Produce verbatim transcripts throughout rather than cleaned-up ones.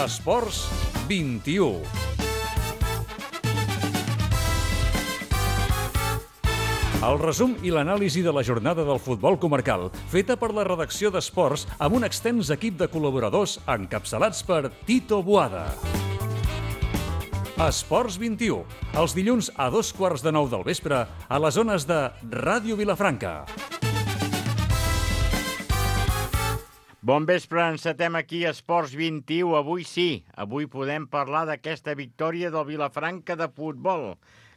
Esports vint-i-u. El resum i l'anàlisi de la jornada del futbol comarcal, feta per la redacció d'Esports amb un extens equip de col·laboradors encapçalats per Tito Boada. Esports vint-i-u, els dilluns a dos quarts de nou del vespre a les zones de Ràdio Vilafranca. Bon vespre, encetem aquí Esports vint-i-u. Avui sí, avui podem parlar d'aquesta victòria del Vilafranca de futbol,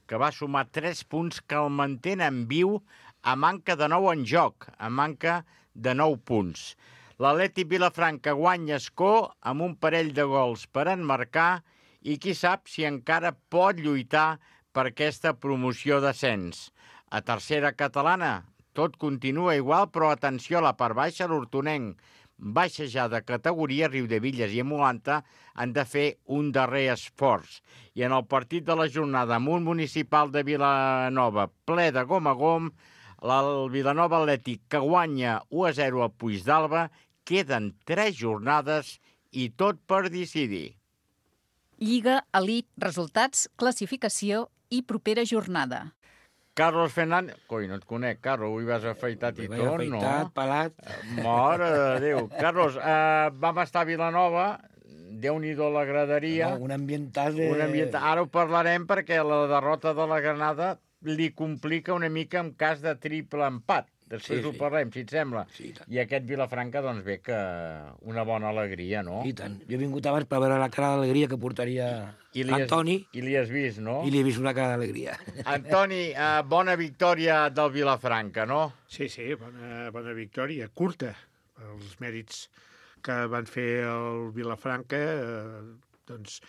que va sumar tres punts que el mantenen viu a manca de nou en joc, a manca de nou punts. L'Atlètic Vilafranca guanya escó amb un parell de gols per enmarcar i qui sap si encara pot lluitar per aquesta promoció d'ascens. A tercera catalana tot continua igual, però atenció a la part baixa, l'Hortonenc baixa ja de categoria, Riudebitlles i Emolanta han de fer un darrer esforç. I en el partit de la jornada amb un municipal de Vilanova ple de gom a gom, el Vilanova Atlètic que guanya u a zero al Puigdàlber, queden tres jornades i tot per decidir. Lliga, elit, resultats, classificació i propera jornada. Carlos Fernández... Coi, no et conec, Carlos, avui vas afaitat i tot, no? Afaitat, pelat... Mare de Déu. Carlos, eh, vam estar a Vilanova, Déu-n'hi-do la graderia... No, un ambiental de... Un ambiental... Ara ho parlarem perquè la derrota de la Granada li complica una mica en cas de triple empat. Després sí, ho sí. parlem, si et sembla. Sí, I aquest Vilafranca, doncs bé, que una bona alegria, no? I tant. Jo he vingut abans per veure la cara d'alegria que portaria Antoni. I li has vist, no? I li he vist una cara d'alegria. Antoni, eh, bona victòria del Vilafranca, no? Sí, sí, bona, bona victòria, curta. Els mèrits que van fer el Vilafranca, eh, doncs,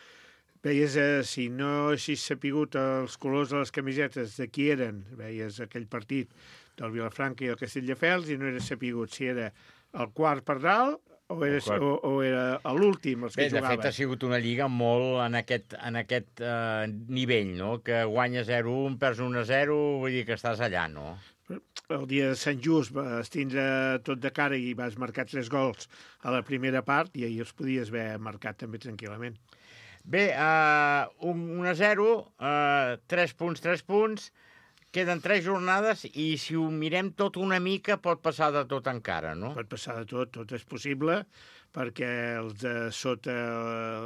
veies, eh, si no haguessis sapigut els colors de les camisetes de qui eren, veies aquell partit del Vilafranca i el Castelldefels i no era sapigut si era el quart per dalt o era, o, o era l'últim els que Bé, jugaven. De fet, ha sigut una lliga molt en aquest, en aquest uh, nivell, no? Que guanyes zero a un, perds un a zero, vull dir que estàs allà, no? El dia de Sant Just vas tindre tot de cara i vas marcar tres gols a la primera part i ahir els podies haver marcat també tranquil·lament. Bé, uh, un a zero, uh, tres punts, tres punts, queden tres jornades i si ho mirem tot una mica pot passar de tot encara, no? Pot passar de tot, tot és possible, perquè els de sota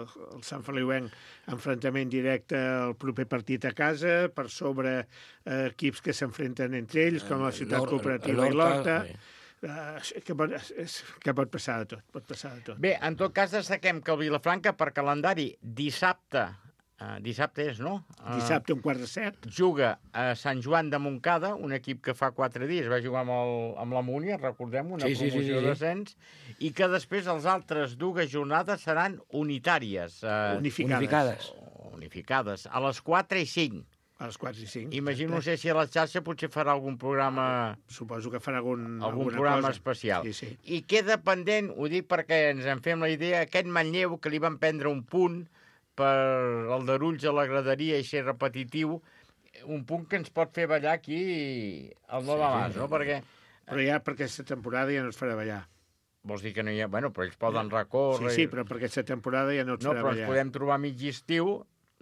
el Sant Feliuenc enfrontament directe al proper partit a casa, per sobre eh, equips que s'enfrenten entre ells, com la Ciutat Cooperativa i l'Horta, eh, que, pot, que pot passar de tot, pot passar de tot. Bé, en tot cas destaquem que el Vilafranca per calendari dissabte, Uh, dissabte és, no? Uh, Dissabte, un quart de set. Juga a Sant Joan de Montcada, un equip que fa quatre dies va jugar amb, el, amb la Múnia, recordem, una sí, sí, promoció sí, sí. d'ascens, i que després els altres dues jornades seran unitàries. Uh, unificades. Unificades. Unificades, a les quatre i cinc. A les quatre i cinc. Imagino, no sé si a la xarxa potser farà algun programa... Suposo que farà algun, algun programa cosa. especial. Sí, sí. I queda pendent, ho dic perquè ens en fem la idea, aquest Manlleu que li van prendre un punt per el darulls a la graderia i ser repetitiu, un punt que ens pot fer ballar aquí al Nova Mas, sí, no? Perquè... Però ja per aquesta temporada ja no es farà ballar. Vols dir que no hi ha... Bueno, però ells poden recórrer... Sí, sí, però per aquesta temporada ja no es no, farà ballar. No, però ens podem trobar mig estiu,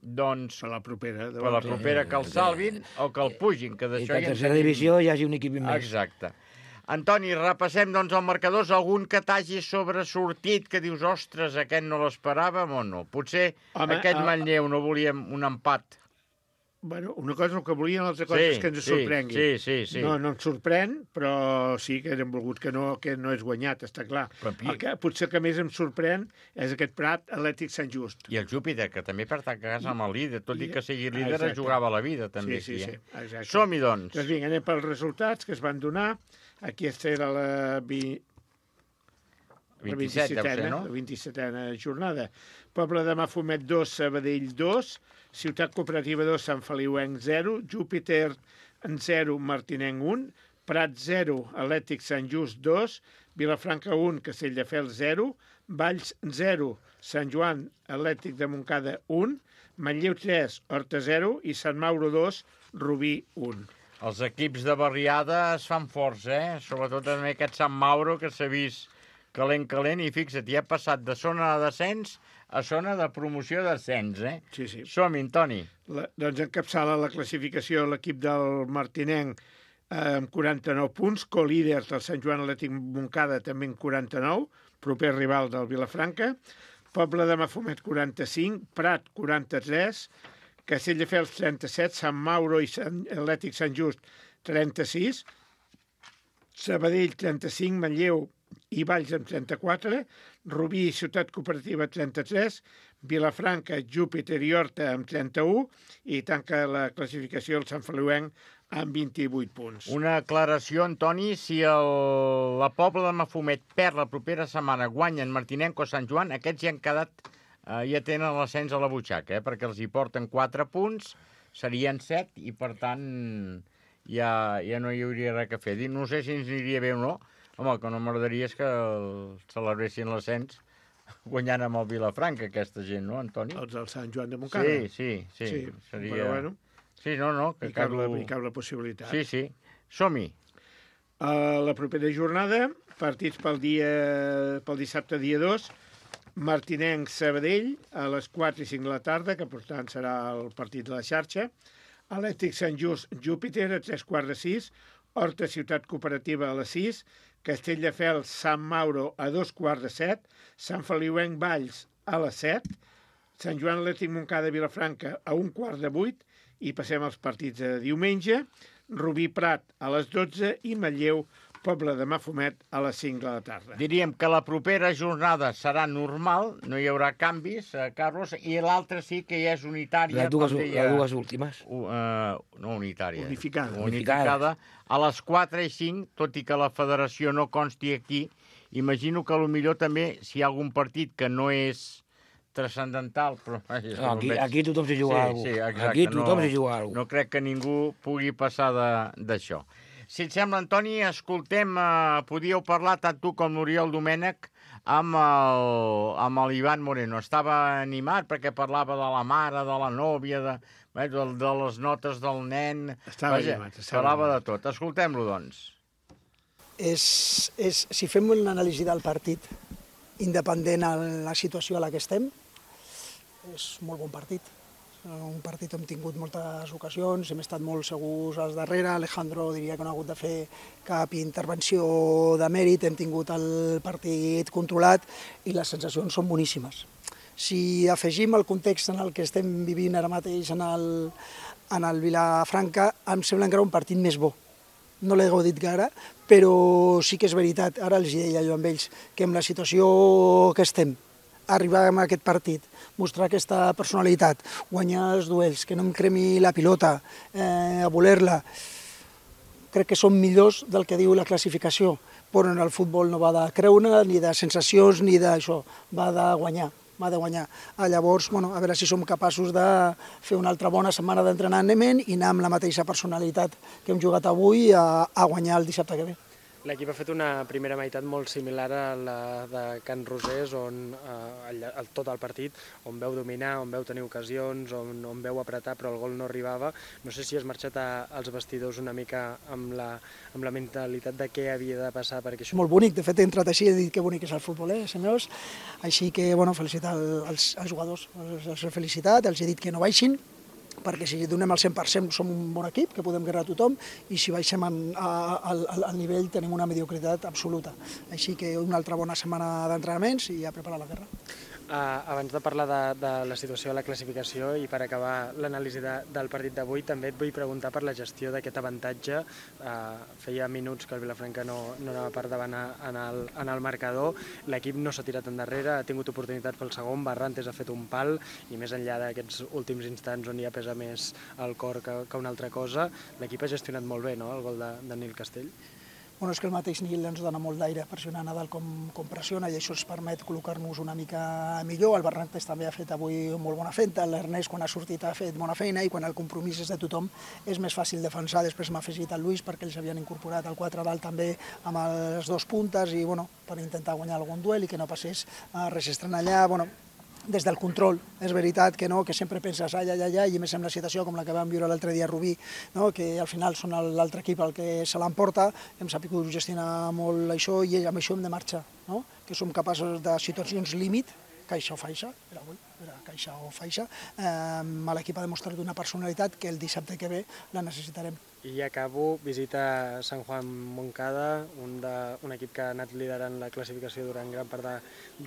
doncs... Per la propera. Per la propera que el salvin o que el pugin, que d'això I que a tercera divisió hi hagi un equip més. Exacte. Antoni, repassem doncs els marcadors, algun que t'hagi sobresortit, que dius, ostres, aquest no l'esperàvem o no? Potser Home, aquest uh... Manlleu no volíem un empat. Bueno, una cosa el que volien, l'altra cosa sí, és que ens sí, sorprengui. Sí, sí, sí. No, no ens sorprèn, però sí que hem volgut que no, que no és guanyat, està clar. El que, potser que més em sorprèn és aquest Prat Atlètic Sant Just. I el Júpiter, que també pertany a casa amb el líder, tot i que sigui líder, exacte. Jugava la vida també sí, aquí. Sí, eh? sí, som-hi, doncs. Doncs vinga, anem pels resultats que es van donar. Aquesta era la, vi... la vint-i-setena, no? La vint-i-setena jornada. Poble de Mafumet dos, Sabadell dos, Ciutat Cooperativa dos, Sant Feliuenc zero, Júpiter en zero, Martinenc un, Prat zero, Atlètic Sant Just dos, Vilafranca un, Castelldefels zero, Valls zero, Sant Joan Atlètic de Montcada un, Manlleu tres, Horta zero i Sant Mauro dos, Rubí un. Els equips de barriada es fan forts, eh? Sobretot també aquest Sant Mauro, que s'ha vist calent, calent, i fixa't, ja ha passat de zona de descens a zona de promoció d'ascens, eh? Sí, sí. Som-hi, Toni. La, doncs encapçala la classificació l'equip del Martinenc eh, amb quaranta-nou punts, co-líders del Sant Joan Atlètic Montcada també amb quaranta-nou, proper rival del Vilafranca, Poble de Mafumet quaranta-cinc, Prat quaranta-tres, Castelldefels trenta-set, Sant Mauro i Sant Atlètic Sant Just trenta-sis, Sabadell trenta-cinc, Manlleu i Valls amb trenta-quatre, Rubí i Ciutat Cooperativa trenta-tres, Vilafranca, Júpiter i Horta amb trenta-u i tanca la classificació el Sant Feliuenc amb vint-i-vuit punts. Una aclaració, Antoni, si el, la Pobla de Mafumet perd la propera setmana, guanyen Martinenc o Sant Joan, aquests ja han quedat, eh, ja tenen l'ascens a la butxaca, eh, perquè els hi porten quatre punts, serien set i per tant ja, ja no hi hauria res a fer. No sé si ens aniria bé o no. Home, el que no m'agradaria és que celebressin l'ascens guanyant amb el Vilafranca, aquesta gent, no, Antoni? Els del Sant Joan de Montcada. Sí, sí, sí. Sí, seria... però bueno, sí, no, no. Que hi cap, la, cau... hi cap la possibilitat. Sí, sí. Som-hi. Uh, la propera jornada, partits pel, dia, pel dissabte dia dos, Martinenc Sabadell a les quatre i cinc de la tarda, que per tant serà el partit de la xarxa, Atlètic Sant Just Júpiter a tres quarts de sis, Horta Ciutat Cooperativa a les sis, Castelldefels Sant Mauro a dos quarts de set, Sant Feliuenc Valls a les set, Sant Joan Atlètic Montcada Vilafranca a un quart de vuit i passem als partits de diumenge, Rubí Prat a les dotze i Manlleu Poble de Mafumet a les cinc de la tarda. Diríem que la propera jornada serà normal, no hi haurà canvis, eh, Carlos, i l'altra sí que ja és unitària. Les dues, deia, les dues últimes. Uh, uh, no unitària. Unificada. Unificada. A les quatre i cinc, tot i que la federació no consti aquí, imagino que potser també, si hi ha algun partit que no és transcendental, però... No, aquí, aquí tothom s'hi juga sí, alguna cosa. Sí, exacte, aquí tothom no, s'hi juga alguna cosa. No crec que ningú pugui passar d'això. Si et sembla, Antoni, escoltem, eh, podíeu parlar tant tu com l'Oriol Domènech amb el, amb l'Ivan Moreno. Estava animat perquè parlava de la mare, de la nòvia, de, de, de les notes del nen... Estava Vaja, animat. Estava parlava animat. de tot. Escoltem-lo, doncs. És, és, si fem una anàlisi del partit, independent de la situació a la que estem, és molt bon partit. Un partit on hem tingut moltes ocasions, hem estat molt segurs als darrere, Alejandro diria que no ha hagut de fer cap intervenció de mèrit, hem tingut el partit controlat i les sensacions són boníssimes. Si afegim el context en el que estem vivint ara mateix en el, en el Vilafranca, em sembla encara un partit més bo. No l'he gaudit gaire, però sí que és veritat, ara els deia jo amb ells, que amb la situació que estem, arribar a aquest partit, mostrar aquesta personalitat, guanyar els duels, que no em cremi la pilota, eh, a voler-la, crec que són millors del que diu la classificació, però en el futbol no va de creure, ni de sensacions, ni d'això, va de guanyar, va de guanyar. Ah, llavors, bueno, a veure si som capaços de fer una altra bona setmana d'entrenament i anar amb la mateixa personalitat que hem jugat avui a, a guanyar el dissabte que ve. L'equip ha fet una primera meitat molt similar a la de Can Rosés, on eh, el, el, tot el partit, on veu dominar, on veu tenir ocasions, on, on veu apretar, però el gol no arribava. No sé si has marxat a, als vestidors una mica amb la, amb la mentalitat de què havia de passar perquè això... Molt bonic, de fet he entrat així i he dit que bonic és el futbol, eh, senyors? Així que, bueno, felicitar els, els jugadors, els, els he felicitat, els he dit que no baixin, perquè si donem el cent per cent som un bon equip, que podem guerrar a tothom, i si baixem en, a, a, al nivell tenim una mediocritat absoluta. Així que una altra bona setmana d'entrenaments i a preparar la guerra. Uh, abans de parlar de, de la situació de la classificació i per acabar l'anàlisi de, del partit d'avui, també et vull preguntar per la gestió d'aquest avantatge. Uh, feia minuts que el Vilafranca no, no anava per davant en el, en el marcador, l'equip no s'ha tirat endarrere, ha tingut oportunitat pel segon, Barrantes ha fet un pal i més enllà d'aquests últims instants on ja pesa més el cor que, que una altra cosa, l'equip ha gestionat molt bé, no?, el gol de, de Nil Castell. Bueno, és que el mateix Nil ens dona molt d'aire pressionant a dalt com, com pressiona i això ens permet col·locar-nos una mica millor. El Barrantes també ha fet avui molt bona feina, l'Ernest quan ha sortit ha fet bona feina i quan el compromís és de tothom és més fàcil defensar. Després m'ha afegit el Lluís perquè ells havien incorporat el quatre dalt també amb les dos puntes i bueno, per intentar guanyar algun duel i que no passés res estrany allà. Bueno, des del control, és veritat que no, que sempre penses ai, ai, ai, ai, i més amb la situació com la que vam viure l'altre dia a Rubí, no, que al final són l'altre equip el que se l'emporta, hem sabut gestionar molt això i amb això hem de marxar, no? Que que som capaços de situacions límit, caixa o faixa, era avui, era caixa o faixa, eh, l'equip ha demostrat una personalitat que el dissabte que ve la necessitarem. I acabo, visita Sant Juan Moncada, un, de, un equip que ha anat liderant la classificació durant gran part de,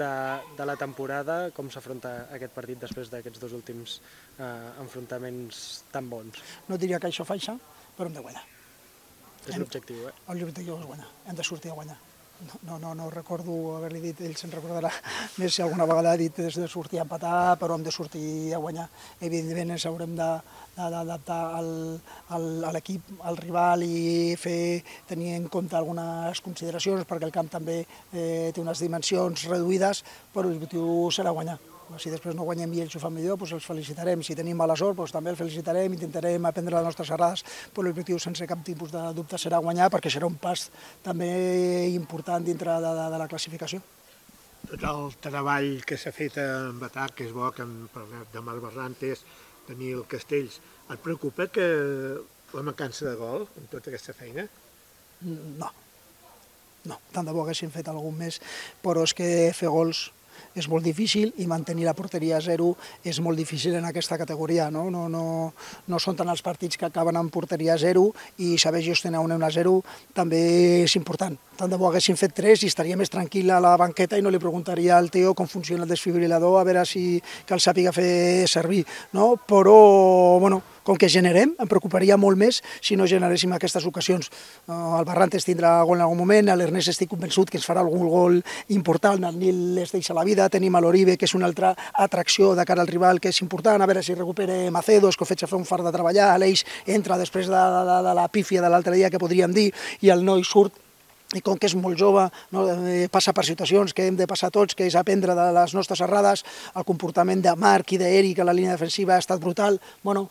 de, de la temporada. Com s'afronta aquest partit després d'aquests dos últims eh, enfrontaments tan bons? No diria caixa o faixa, però hem de guanyar. És l'objectiu, eh? L'objectiu és guanyar, hem de sortir a guanyar. No, no, no recordo haver-li dit, ell se'n recordarà més si alguna vegada ha dit és de sortir a empatar, però hem de sortir a guanyar. Evidentment ens haurem d'adaptar al, al, a l'equip, al rival i fer tenir en compte algunes consideracions perquè el camp també eh, té unes dimensions reduïdes, però l'objectiu serà guanyar. Si després no guanyem i ells ho fan millor, doncs els felicitarem. Si tenim mala sort, doncs també els felicitarem, intentarem aprendre les nostres errades, però l'objectiu sense cap tipus de dubte serà guanyar, perquè serà un pas també important dintre de, de, de la classificació. Tot el treball que s'ha fet amb atac, que és bo, que hem parlat de Marc Barrantes, Daniel Castells, et preocupa que la mancança de gol en tota aquesta feina? No, no, tant de bo haguessin fet algun més, però és que fer gols és molt difícil i mantenir la porteria a zero és molt difícil en aquesta categoria. No, no, no, no són tant els partits que acaben amb porteria a zero i saber gestionar un a zero també és important. Tant de bo haguessin fet tres i estaria més tranquil a la banqueta i no li preguntaria al Teo com funciona el desfibrilador a veure si que el sàpiga fer servir. No? Però, bueno, com que generem, em preocuparia molt més si no generéssim aquestes ocasions. Uh, el Barrantes tindrà gol en algun moment, l'Ernest estic convençut que ens farà algun gol important, el Nil es deixa la vida, tenim a l'Oribe, que és una altra atracció de cara al rival, que és important, a veure si recupera Macedo, és que ho faig a fer un fart de treballar, l'Eix entra després de, de, de la pífia de l'altre dia, que podríem dir, i el noi surt, i com que és molt jove, no, eh, passa per situacions que hem de passar tots, que és aprendre de les nostres errades, el comportament de Marc i d'Eric a la línia defensiva ha estat brutal, bueno,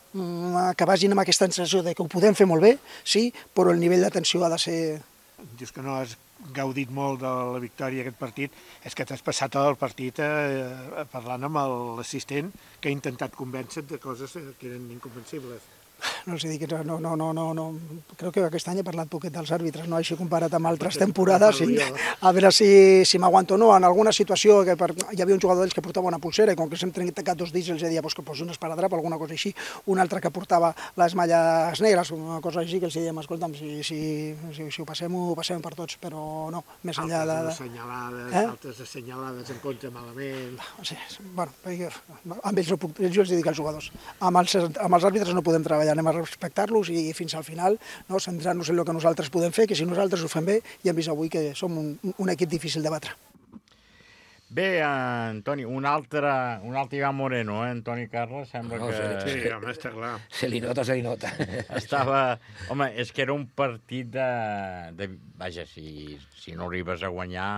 que vagin amb aquesta sensació de que ho podem fer molt bé, sí, però el nivell d'atenció ha de ser... Dius que no has gaudit molt de la victòria aquest partit, és que t'has passat tot el partit eh, parlant amb l'assistent que ha intentat convèncer de coses que eren inconvencibles. No els dic, no, no, no, no, no. Crec que aquest any he parlat poquet dels àrbitres, no així comparat amb altres temporades, i a veure si, si m'aguanto o no. En alguna situació que per, hi havia un jugador d'ells que portava una pulsera i com que s'hem trencat dos dits els deia pues, que posi un esparadrap o alguna cosa així, un altre que portava les malles negres, una cosa així que els dèiem, escolta'm, si, si, si, si ho passem, ho passem per tots, però no, més enllà de... Altres assenyalades, eh? altres assenyalades en contra malament... Sí, bueno, amb ells no puc, jo els dic als jugadors, amb els, amb els àrbitres no podem treballar, anem a respectar-los i fins al final no, centrar-nos en el que nosaltres podem fer, que si nosaltres ho fem bé, ja hem vist avui que som un, un equip difícil de batre. Bé, Antoni, un altre, un altre Ivan Moreno, eh, Antoni Carles, sembla No, que... Sí, home, està clar. Se li nota, se li nota. Estava... Home, és que era un partit de... de... Vaja, si, si no arribes a guanyar...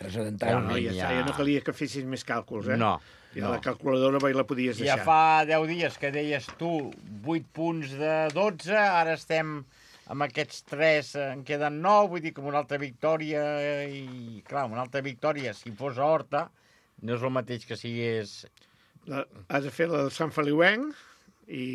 Transcendental. No, ja, ja no calia que fessis més càlculs, eh? No. Ja no. la calculadora mai la podies Ja deixar. fa deu dies que deies tu vuit punts de dotze, ara estem amb aquests tres, en queden nou, vull dir que amb una altra victòria, i clar, una altra victòria, si fos a Horta, no és el mateix que si és... La, has de fer la del Sant Feliuenc i...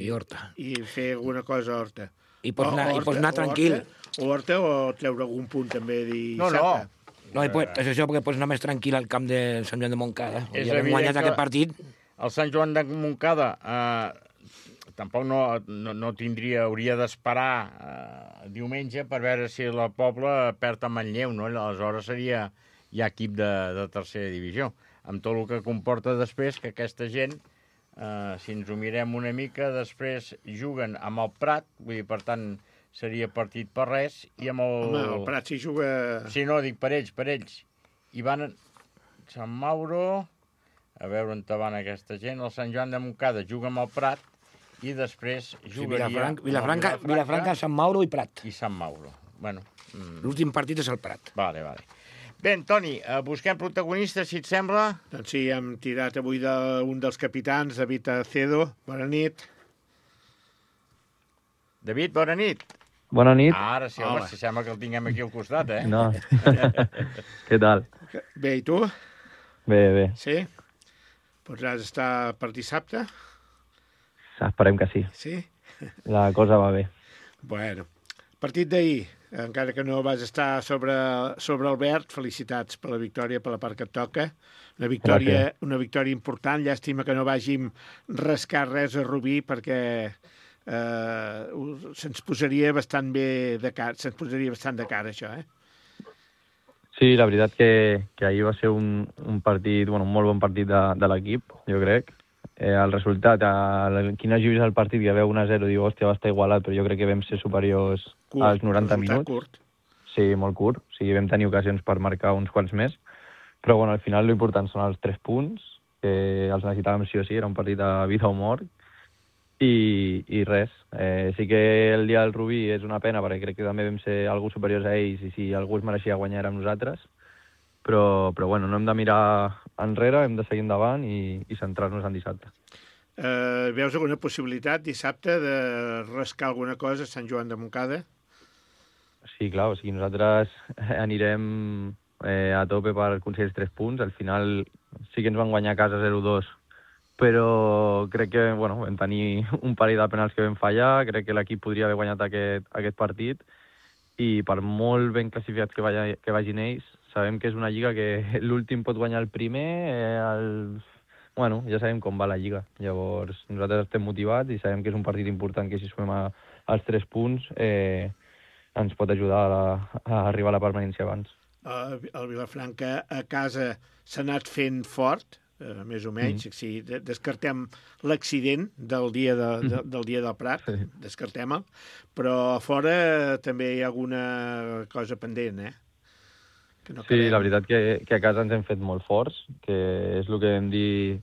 I Horta. I fer alguna cosa a Horta. I pots anar, O i pots anar tranquil. O Horta o treure algun punt també dissabte. No, no. No, i pots, és això, perquè pots anar més tranquil al camp de Sant Joan de Montcada. És Ja hem evident guanyat que- aquest partit. El Sant Joan de Montcada eh, tampoc no, no, no tindria, hauria d'esperar eh, diumenge per veure si la Pobla perd a Manlleu, no? Aleshores seria ja equip de, de tercera divisió. Amb tot el que comporta després que aquesta gent, eh, si ens ho mirem una mica, després juguen amb el Prat, vull dir, per tant, seria partit per res, i amb el... Home, el Prat s'hi juga... Sí, no, dic per ells, per ells. I van a Sant Mauro, a veure on van aquesta gent, el Sant Joan de Montcada juga amb el Prat i després Sí, jugaria... Vilafranca, amb el Vilafranca, Vilafranca, Sant Mauro i Prat. i Sant Mauro. Bueno, mm, L'últim partit és el Prat. vale, vale. Bé, Antoni, eh, busquem protagonistes, si et sembla. Doncs sí, hem tirat avui d'un dels capitans, David Acedo. Bona nit. David, bona nit. Bona nit. Ah, ara sí, home, Hola. si sembla que el tinguem aquí al costat, eh? No. Què tal? Bé, i tu? Bé, bé. Sí? Podràs estar per dissabte? Esperem que sí. Sí? La cosa va bé. Bueno, partit d'ahir. encara que no vas estar sobre, sobre el verd, felicitats per la victòria, per la part que et toca. Una victòria, una victòria important. Llàstima que no vàgim rascar res a Rubí, perquè eh, se'ns posaria bastant bé de cara, se'ns posaria bastant de cara, això, eh? Sí, la veritat que, que ahir va ser un, un partit, bueno, un molt bon partit de, de l'equip, jo crec. Eh, el resultat, el, quin hagi vist el partit, que veu un a zero, diu, hòstia, va estar igualat, però jo crec que vam ser superiors curt, als noranta minuts. Curt. Sí, molt curt. O sigui, vam tenir ocasions per marcar uns quants més. Però, bueno, al final l'important són els tres punts, que els necessitàvem sí o sí, era un partit de vida o mort. I, i res. Eh, sí que el dia del Rubí és una pena, perquè crec que també vam ser algú superiors a ells, i si algú es mereixia guanyar érem nosaltres. Però, però bueno, no hem de mirar enrere, hem de seguir endavant i, i centrar-nos en dissabte. Eh, veus alguna possibilitat dissabte de rascar alguna cosa a Sant Joan de Montcada? Sí, clar, o sigui, nosaltres anirem eh, a tope per aconseguir els tres punts. Al final sí que ens van guanyar a casa zero dos, però crec que bueno, vam tenir un parell de penals que vam fallar, crec que l'equip podria haver guanyat aquest, aquest partit, i per molt ben classificats que, vaya, que vagin ells, sabem que és una lliga que l'últim pot guanyar el primer, eh, el... bueno, ja sabem com va la lliga. Llavors, nosaltres estem motivats i sabem que és un partit important, que si sumem a, als tres punts eh, ens pot ajudar a, a arribar a la permanència abans. El, el Vilafranca a casa s'ha anat fent fort, Uh, més o menys, mm. si descartem l'accident del dia de, de, del dia del Prat, sí. descartem-el, però a fora també hi ha alguna cosa pendent, eh? Que no sí, quedem... la veritat que, que a casa ens hem fet molt forts, que és el que vam dir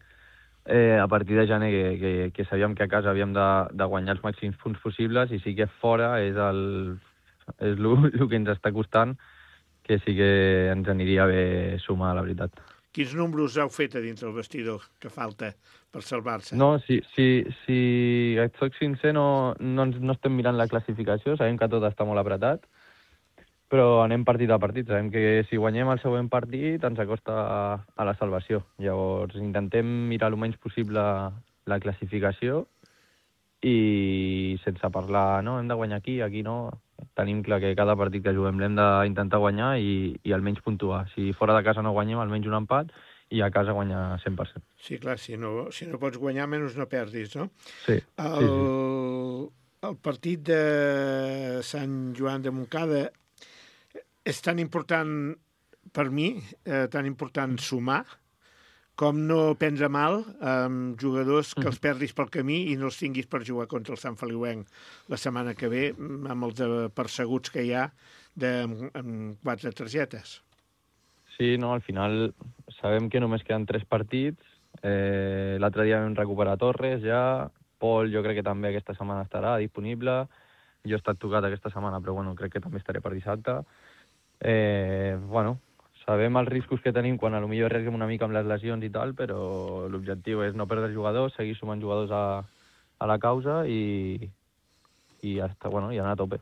eh, a partir de gener, que, que, que sabíem que a casa havíem de, de guanyar els màxims punts possibles, i sí que fora és el, és el, el que ens està costant, que sí que ens aniria bé sumar, la veritat. Quins números heu fet a dins del vestidor que falta per salvar-se? No, si, si, si et soc sincer, no, no, no estem mirant la classificació, sabem que tot està molt apretat, però anem partit a partit. Sabem que si guanyem el següent partit ens acosta a, a la salvació. Llavors intentem mirar el menys possible la classificació i sense parlar, no, hem de guanyar aquí, aquí no. Tenim clar que cada partit que juguem l'hem d'intentar guanyar i, i almenys puntuar. Si fora de casa no guanyem, almenys un empat, i a casa guanyar cent per cent. Sí, clar, si no, si no pots guanyar, menys no perdis, no? Sí. El, sí, sí. el partit de Sant Joan de Montcada és tan important per mi, eh, tan important sumar, com no prendre mal amb jugadors que els perdis pel camí i no els tinguis per jugar contra el Sant Feliuenc la setmana que ve, amb els perseguts que hi ha de, amb quatre targetes. Sí, no, al final sabem que només queden tres partits. Eh, L'altre dia vam recuperar Torres ja, Pol jo crec que també aquesta setmana estarà disponible. Jo he estat tocat aquesta setmana, però bueno, crec que també estaré per dissabte. Eh, bueno, sabem els riscos que tenim quan a lo millor arriesguem una mica amb les lesions i tal, però l'objectiu és no perdre jugadors, seguir sumant jugadors a, a la causa i, i, hasta, bueno, i anar a tope.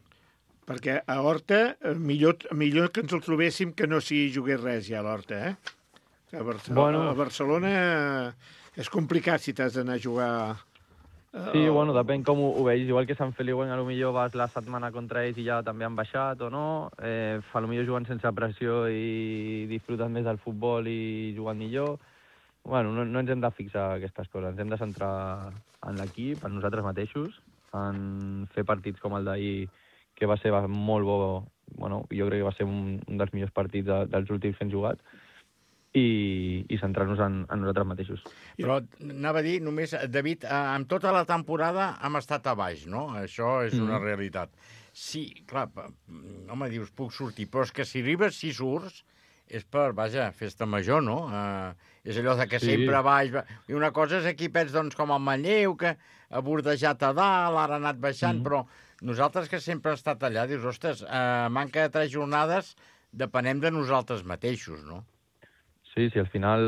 Perquè a Horta, millor, millor que ens el trobéssim que no s'hi jugués res ja a l'Horta, eh? A Barcelona, bueno, a Barcelona és complicat si t'has d'anar a jugar... Sí, bueno, depèn com ho, ho veus. Igual que Sant Feliuenc, a lo millor vas la setmana contra ells i ja també han baixat o no. Eh, a lo millor jugant sense pressió i disfruten més del futbol i jugant millor. Bueno, no, no ens hem de fixar aquestes coses. Ens hem de centrar en l'equip, en nosaltres mateixos, en fer partits com el d'ahir, que va ser molt bo. Bueno, jo crec que va ser un, un dels millors partits de, dels últims que hem jugat. i, i centrar-nos en, en nosaltres mateixos. Però anava a dir, només, David, amb tota la temporada hem estat a baix, no? Això és una mm. realitat. Sí, clar, home, dius, puc sortir, però és que si arribes, si surts, és per, vaja, festa major, no? Uh, és allò de que sí. sempre baix... I una cosa és equipets, doncs, com el Manlleu, que ha bordejat a dalt, ara ha anat baixant, mm. però nosaltres que sempre hem estat allà, dius, ostres, uh, manca de tres jornades, depenem de nosaltres mateixos, no? Sí, sí, al final,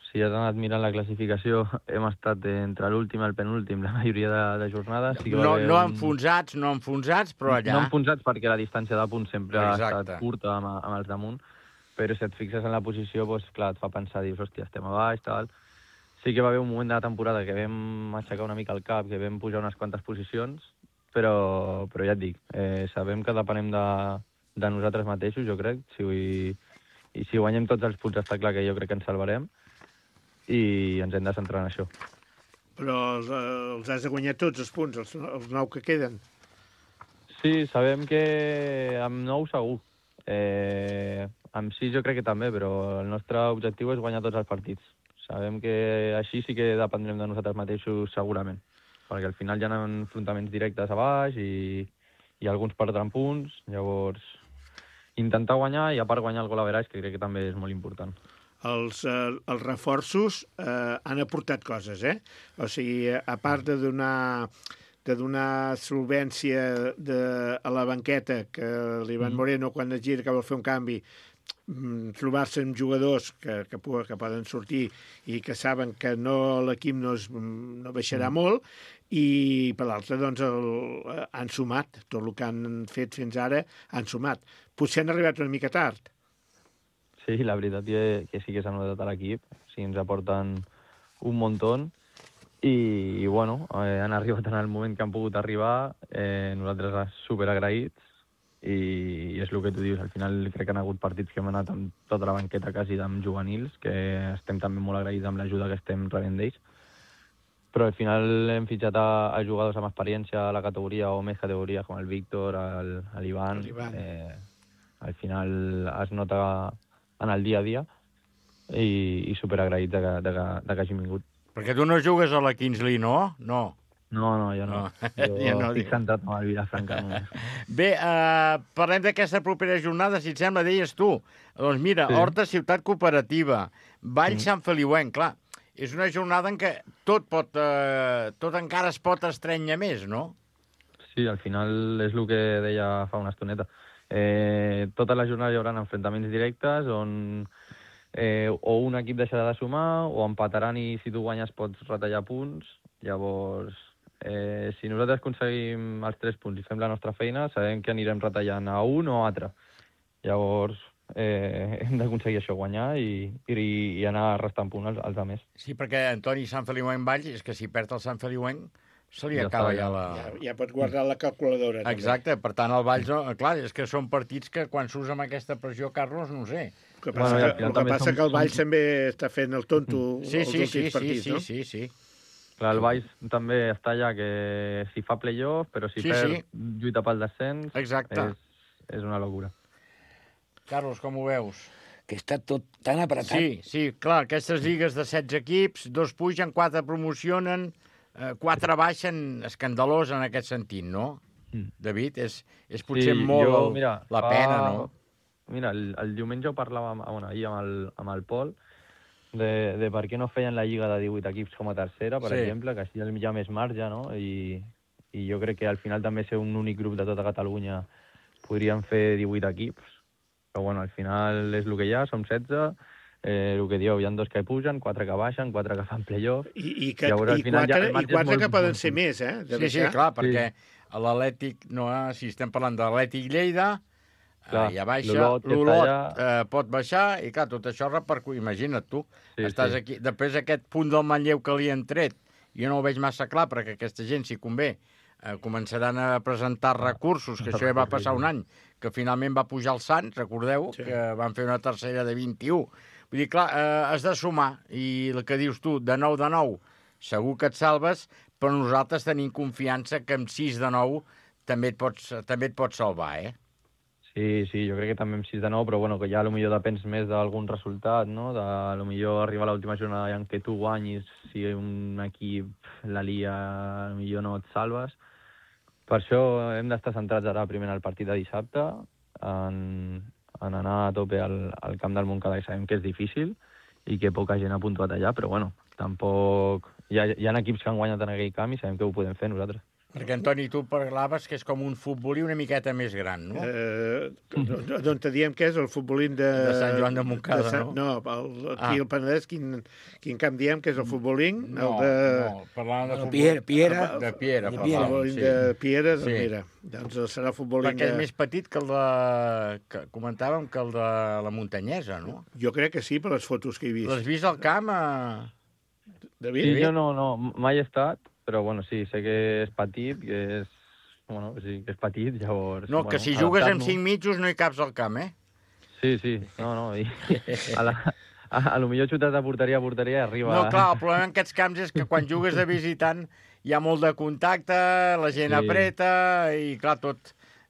si has anat mirant la classificació, hem estat entre l'últim i el penúltim la majoria de, de jornades. Sí que no no un... enfonsats, no enfonsats, però allà... No enfonsats perquè la distància de punts sempre Exacte. ha estat curta amb, amb els damunt, però si et fixes en la posició, doncs, clar, et fa pensar, dius, hòstia, estem a baix, tal... Sí que va haver un moment de la temporada que vam aixecar una mica el cap, que vam pujar unes quantes posicions, però, però ja et dic, eh, sabem que depenem de, de nosaltres mateixos, jo crec, si, i si guanyem tots els punts està clar que jo crec que ens salvarem i ens hem de centrar en això. Però els, els has de guanyar tots els punts, els, els nou que queden. Sí, sabem que amb nou segur. Eh, amb sis jo crec que també, però el nostre objectiu és guanyar tots els partits. Sabem que així sí que dependrem de nosaltres mateixos segurament, perquè al final hi ha enfrontaments directes a baix i, i alguns perdran punts, llavors intentar guanyar i a part guanyar el gol average, que crec que també és molt important. Els, eh, els reforços eh, han aportat coses, eh? O sigui, a part de donar, de donar solvència de, a la banqueta, que l'Ivan Moreno, quan es gira que vol fer un canvi, trobar-se amb jugadors que, que, que poden sortir i que saben que no l'equip no, es, no baixarà mm. molt, i per l'altre doncs el, han sumat, tot el que han fet fins ara han sumat. Potser han arribat una mica tard. Sí, la veritat que, que sí que s'ha notat a l'equip, sí, ens aporten un muntó i, i bueno, eh, han arribat en el moment que han pogut arribar, eh, nosaltres superagraïts, i, i és el que tu dius, al final crec que han hagut partits que hem anat amb tota la banqueta quasi amb juvenils, que estem també molt agraïts amb l'ajuda que estem rebent d'ells, però al final hem fitxat a, a jugadors amb experiència a la categoria o més categoria, com el Víctor, l'Ivan, eh, al final es nota en el dia a dia i, i superagraït de, de, de, de que hagin vingut. Perquè tu no jugues a la Kingsley, no? No. No, no, jo no. no. Jo ja no estic centrat amb el Vilafranca. No. Bé, eh, parlem d'aquesta propera jornada, si et sembla, deies tu. Doncs mira, sí. Horta, Ciutat Cooperativa, Vall sí. Sant Feliuenc, clar, és una jornada en què tot pot, eh, tot encara es pot estrènyer més, no? Sí, al final és el que deia fa una estoneta. Eh, tota la jornada hi haurà enfrontaments directes on eh, o un equip deixarà de sumar o empataran i si tu guanyes pots retallar punts. Llavors, eh, si nosaltres aconseguim els tres punts i fem la nostra feina, sabem que anirem retallant a un o a altre. Llavors, eh, hem d'aconseguir això, guanyar i, i, i anar restant punts als, als altres. Sí, perquè Antoni Sant Feliuenc Vall, és que si perd el Sant Feliuenc se li ja acaba ja la... Ja, ja pot guardar la calculadora. Exacte, també. Per tant, el Valls, clar, és que són partits que quan surts amb aquesta pressió, Carlos, no ho sé. El que passa, bueno, que, el que, passa som, que el Valls som... també està fent el tonto sí, els sí, últims sí, partits, sí, no? Sí, sí, sí. Clar, el Valls també està allà que si fa play-off, però si sí, perd, sí. lluita pel descens, exacte. És, és una locura. Carlos, com ho veus? Que està tot tan apretat. Sí, sí, clar, aquestes lligues de setze equips, dos pugen, quatre promocionen, eh, quatre baixen, escandalós en aquest sentit, no? Mm. David, és, és potser sí, molt jo, mira, la fa... pena, no? Mira, el, el diumenge ho parlàvem bueno, ahir amb el, amb el Pol, de, de per què no feien la lliga de divuit equips com a tercera, per sí. exemple, que així hi ha més marge, no? I, I jo crec que al final també ser un únic grup de tota Catalunya podríem fer divuit equips, però bueno, al final és el que hi ha, som setze, eh, el que dieu, hi ha dos que pugen, quatre que baixen, quatre que fan play-off. I, i, que, Llavors, i, quatre, ja, i quatre molt, que poden ser més, eh? De sí, sí, clar, perquè sí. l'Atlètic, no, si estem parlant de l'Atlètic Lleida, clar, eh, ja baixa, l'Olot eh, pot baixar, i clar, tot això repercutir. Imagina't tu, sí, estàs sí. aquí, després aquest punt del Manlleu que li han tret, jo no ho veig massa clar, perquè aquesta gent, si convé, eh, començaran a presentar recursos, que això ja va passar un any, que finalment va pujar el Sants, recordeu, sí. que van fer una tercera de vint-i-u. Vull dir, clar, eh, has de sumar, i el que dius tu, de nou de nou, segur que et salves, però nosaltres tenim confiança que amb sis de nou també et pots, també et pots salvar, eh? Sí, sí, jo crec que també amb sis de nou, però bueno, que ja potser depens més d'algun resultat, no? De potser arribar a l'última jornada en què tu guanyis, si un equip la lia, potser no et salves. Per això hem d'estar centrats ara primer en el partit de dissabte, en, en anar a tope al, al camp del Montcada, que sabem que és difícil i que poca gent ha puntuat allà, però bueno, tampoc... Hi ha, hi ha equips que han guanyat en aquell camp i sabem que ho podem fer nosaltres. Perquè, Antoni, tu parlaves que és com un futbolí una miqueta més gran, no? Eh, D'on te diem que és el futbolín de... De Sant Joan de Montcada, de Sant... no? No, el, aquí ah. al Penedès, quin, quin camp diem que és el futbolín? No, el de... no, parlant de no, futbol... Piera, Piera. De Piera, el Piera. El futbolín sí. de Piera, doncs sí. mira, doncs serà futbolín Perquè de... és més petit que el de... Que comentàvem que el de la Muntanyesa, no? Jo crec que sí, per les fotos que he vist. L'has vist al camp? A... David? Sí, jo no, no, mai he estat, però bueno, sí, sé que és petit, que és bueno, sí, que és petit, llavors... No, que bueno, si jugues amb adaptar-nos. cinc mitjos no hi caps al camp, eh? Sí, sí, no, no, i a, la, a, a lo millor xutat de porteria a porteria i arriba... No, clar, el problema en aquests camps és que quan jugues de visitant hi ha molt de contacte, la gent Sí. apreta i, clar, tot,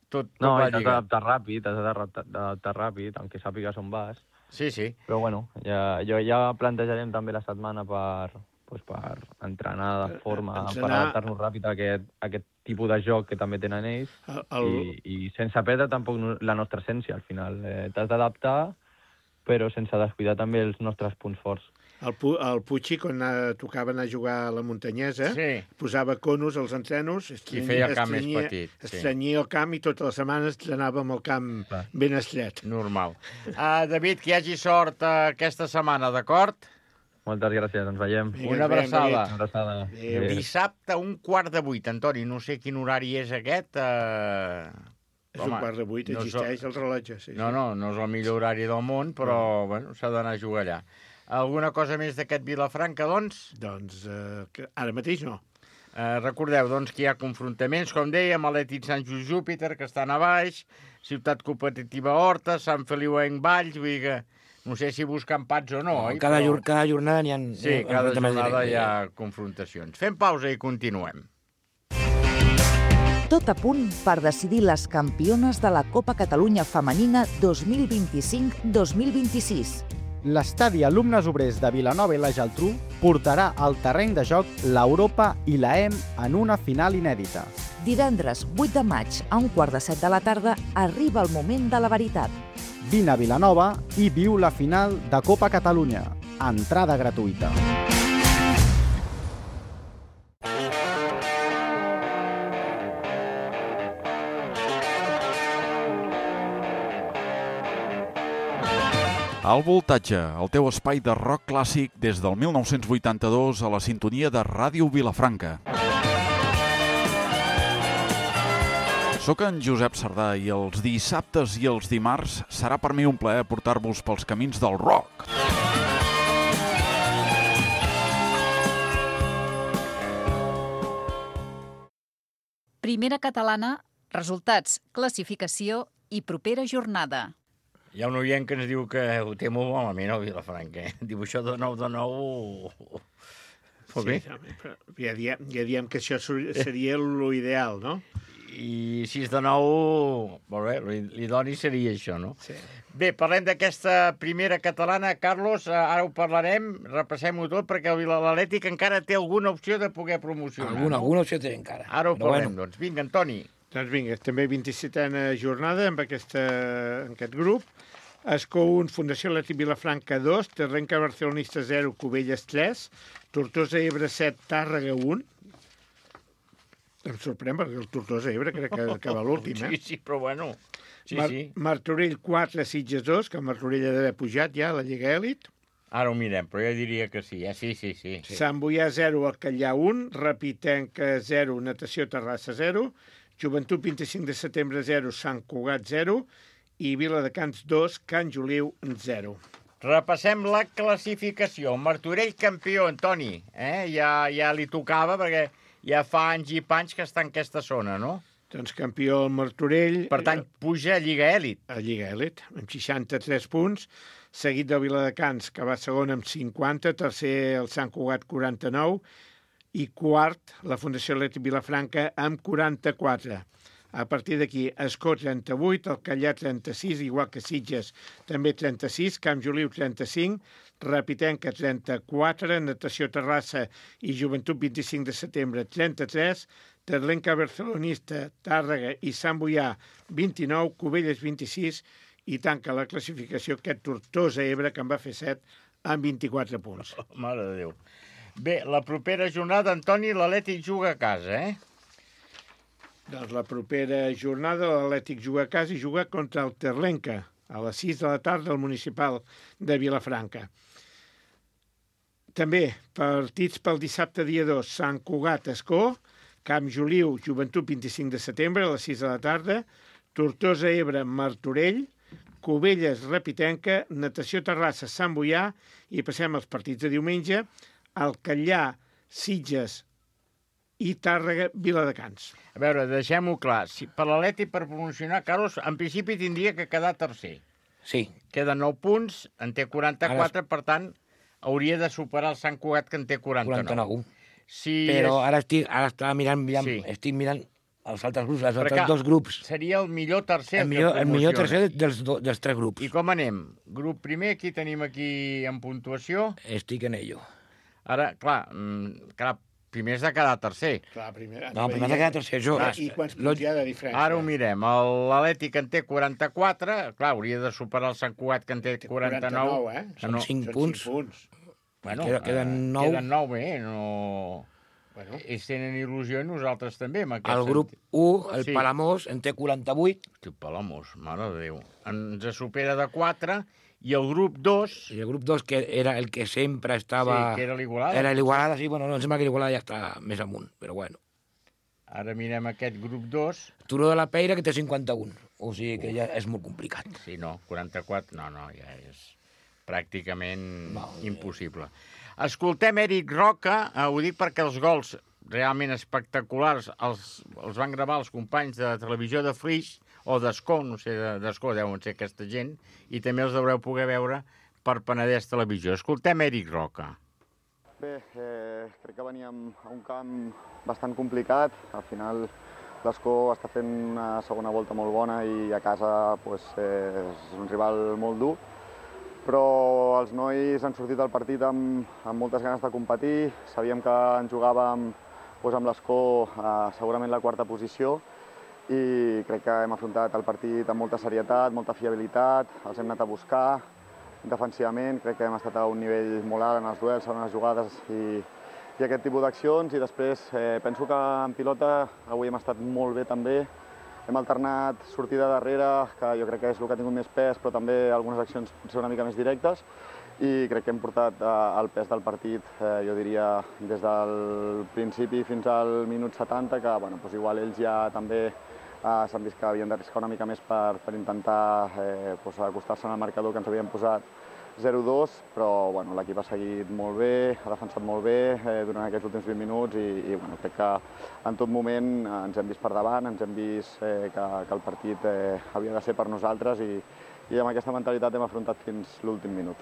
tot, tot No, va i t'has lligat. d'adaptar ràpid, t'has d'adaptar d'adaptar ràpid, aunque sàpigues on vas. Sí, sí. Però bueno, ja, jo ja plantejarem també la setmana per, pues, per entrenar de forma, Ens per anar- adaptar-nos ràpid a aquest, a aquest tipus de joc que també tenen ells. El, el, I, i sense perdre tampoc no- la nostra essència, al final. Eh, T'has d'adaptar, però sense descuidar també els nostres punts forts. el, Pu- el Puig, quan eh, tocava anar a jugar a la muntanyesa, Sí. posava conos als entrenos, I feia el camp més petit, sí. estrenyia el camp i totes les setmanes entrenava amb el camp Clar. ben estret. Normal. Uh, David, que hi hagi sort uh, aquesta setmana, d'acord? Moltes gràcies, ens veiem. Vinga, Una ens veiem, abraçada. David. Una abraçada. Adéu. Adéu. Dissabte, un quart de vuit, Antoni. No sé quin horari és aquest. Uh... És un quart de vuit, no és el- existeix el rellotge. Sí, No, sí. no, no és el millor horari del món, però bueno, s'ha d'anar a jugar allà. Alguna cosa més d'aquest Vilafranca, doncs? Doncs eh, que ara mateix no. Eh, recordeu, doncs, que hi ha confrontaments, com dèiem, Atlètic Sant Just Júpiter, que estan a baix, Ciutat Competitiva Horta, Sant Feliuenc Valls, vull dir que no sé si buscar empats o no, oi? cada, Però- jor cada jornada n'hi ha... Sí, cada jornada hi ha confrontacions. Fem pausa i continuem. Tot a punt per decidir les campiones de la Copa Catalunya Femenina dos mil vint-i-cinc dos mil vint-i-sis. L'estadi Alumnes Obrers de Vilanova i la Geltrú portarà al terreny de joc l'Europa i la E M en una final inèdita. Divendres vuit de maig a un quart de set de la tarda arriba el moment de la veritat. Vine a Vilanova i viu la final de Copa Catalunya. Entrada gratuïta. Al voltatge, el teu espai de rock clàssic des del mil nou-cents vuitanta-dos a la sintonia de Ràdio Vilafranca. Soc en Josep Sardà i els dissabtes i els dimarts serà per mi un plaer portar-vos pels camins del rock. Primera catalana, resultats, classificació i propera jornada. Hi ha un oient que ens diu que ho té molt malament, el Vilafranca. Eh? Diu, això de nou de nou... Molt bé. Sí, però ja, diem, ja diem que això seria l'ideal, no? I sis de nou... Molt bé, l'idoni seria això, no? Sí. Bé, parlem d'aquesta primera catalana. Carlos, ara ho parlarem, repassem-ho tot, perquè l'Atlètic encara té alguna opció de poder promocionar. Alguna, no? alguna opció té encara. Ara ho Però parlem, bueno. doncs. Vinga, Antoni. Doncs vinga, també vint-i-setena jornada amb, aquesta, en aquest grup. Escó un, Fundació Atlètic Vilafranca dos, Terrenca Barcelonista zero, Cubelles tres, Tortosa Ebre set, Tàrrega un. Em sorprèn perquè el Tortosa Ebre crec que acaba l'últim, eh? Sí, sí, però bueno... Sí, Mar sí. Martorell quatre, Sitges dos, que el Martorell ha d'haver pujat ja a la Lliga Èlit. Ara ho mirem, però jo diria que sí, eh? Sí, sí, sí. sí. Sant Boià zero, Alcallà un, Rapitenca zero, Natació Terrassa zero, Joventut vint-i-cinc de setembre zero, Sant Cugat zero i Viladecans dos, Can Joliu zero. Repassem la classificació. Martorell campió, Antoni. Eh? Ja, ja li tocava, perquè ja fa anys i panys que està en aquesta zona, no? Doncs campió el Martorell. Per tant, puja a Lliga Èlit. A Lliga Èlit, amb seixanta-tres punts, seguit del Viladecans, que va segon amb cinquanta, tercer el Sant Cugat, quaranta-nou, i quart, la Fundació Atlètic Vilafranca, amb quaranta-quatre. A partir d'aquí, Escó, trenta-vuit, Alcallà, trenta-sis, igual que Sitges, també trenta-sis, Camp Joliu, trenta-cinc, Rapitenca, trenta-quatre, Natació Terrassa i Joventut, vint-i-cinc de setembre, trenta-tres, Terlenca Barcelonista, Tàrrega i Sant Boià, vint-i-nou, Cubelles, vint-i-sis, i tanca la classificació aquest Tortosa Ebre, que en va fer set, amb vint-i-quatre punts. Oh, mare de Déu. Bé, la propera jornada, Antoni, l'Atlètic juga a casa, eh? Doncs la propera jornada l'Atlètic juga a casa i juga contra el Terlenca, a les sis de la tarda al municipal de Vilafranca. També partits pel dissabte dia dos, Sant Cugat, Escó, Camp Joliu, Joventut, vint-i-cinc de setembre, a les sis de la tarda, Tortosa Ebre, Martorell, Cubelles, Rapitenca, Natació Terrassa, Sant Boià, i passem als partits de diumenge, Alcallà, Sitges, i Tàrrega, Viladecans. A veure, deixem-ho clar. Si per l'Atleti, per promocionar, Carlos, en principi tindria que quedar tercer. Sí. Queden nou punts, en té quaranta-quatre, per tant, hauria de superar el Sant Cugat, que en té quaranta-nou. quaranta-nou. Si Però és... ara estic, ara estava mirant, mirant Sí. estic mirant els altres grups, els Perquè altres dos grups. Seria el millor tercer El millor, el millor tercer dels, do, dels tres grups. I com anem? Grup primer, qui tenim aquí en puntuació? Estic en ello. Ara, clar, mm, clar primer has de quedar tercer. Clar, primer... No, primer has de quedar tercer, jo. I quants punts hi ha de diferència? Ara ho mirem. L'Atlètic, que en té quaranta-quatre, clar, hauria de superar el Sant Cugat, que en té quaranta-nou. quaranta-nou, eh? Són cinc punts. punts. Bueno, Queda- queden nou. Queden nou, bé, no... Bueno. Ells tenen il·lusió i nosaltres també, amb aquest El grup sentit. u, el Sí. Palamós, en té quaranta-vuit. Hosti, el Palamós, mare de Déu. Ens supera de quatre, i el grup dos... I el grup dos, que era el que sempre estava... Sí, que era l'Igualada. Era l'Igualada, sí, bueno, no, em sembla que l'Igualada ja està més amunt, però bueno. Ara mirem aquest grup dos. Turó de la Peira, que té cinquanta-un. O sigui que ja és molt complicat. Sí, no, quaranta-quatre, no, no, ja és pràcticament no, impossible. Escoltem Eric Roca, eh, ho dic perquè els gols realment espectaculars els, els van gravar els companys de televisió de Flix, o d'Escó, no sé, d'Escó deuen ser aquesta gent, i també els deureu poder veure per Penedès Televisió. Escoltem Eric Roca. Bé, eh, crec que veníem a un camp bastant complicat. Al final l'Escó està fent una segona volta molt bona i a casa pues, eh, és un rival molt dur. Però els nois han sortit del partit amb, amb moltes ganes de competir. Sabíem que ens jugàvem doncs, amb l'Escó eh, segurament la quarta posició i crec que hem afrontat el partit amb molta serietat, molta fiabilitat, els hem anat a buscar defensivament, crec que hem estat a un nivell molt alt en els duels, en les jugades i, i aquest tipus d'accions. I després eh, penso que en pilota avui hem estat molt bé també. Hem alternat sortida darrere, que jo crec que és el que ha tingut més pes, però també algunes accions potser una mica més directes. I crec que hem portat eh, el pes del partit, eh, jo diria, des del principi fins al minut setanta, que bueno, doncs igual ells ja també eh, s'han vist que havien d'arriscar una mica més per, per intentar eh, doncs acostar-se al marcador que ens havien posat zero dos, però bueno, l'equip ha seguit molt bé, ha defensat molt bé eh, durant aquests últims vint minuts i, i bueno, crec que en tot moment eh, ens hem vist per davant, ens hem vist eh, que, que el partit eh, havia de ser per nosaltres i, i amb aquesta mentalitat hem afrontat fins l'últim minut.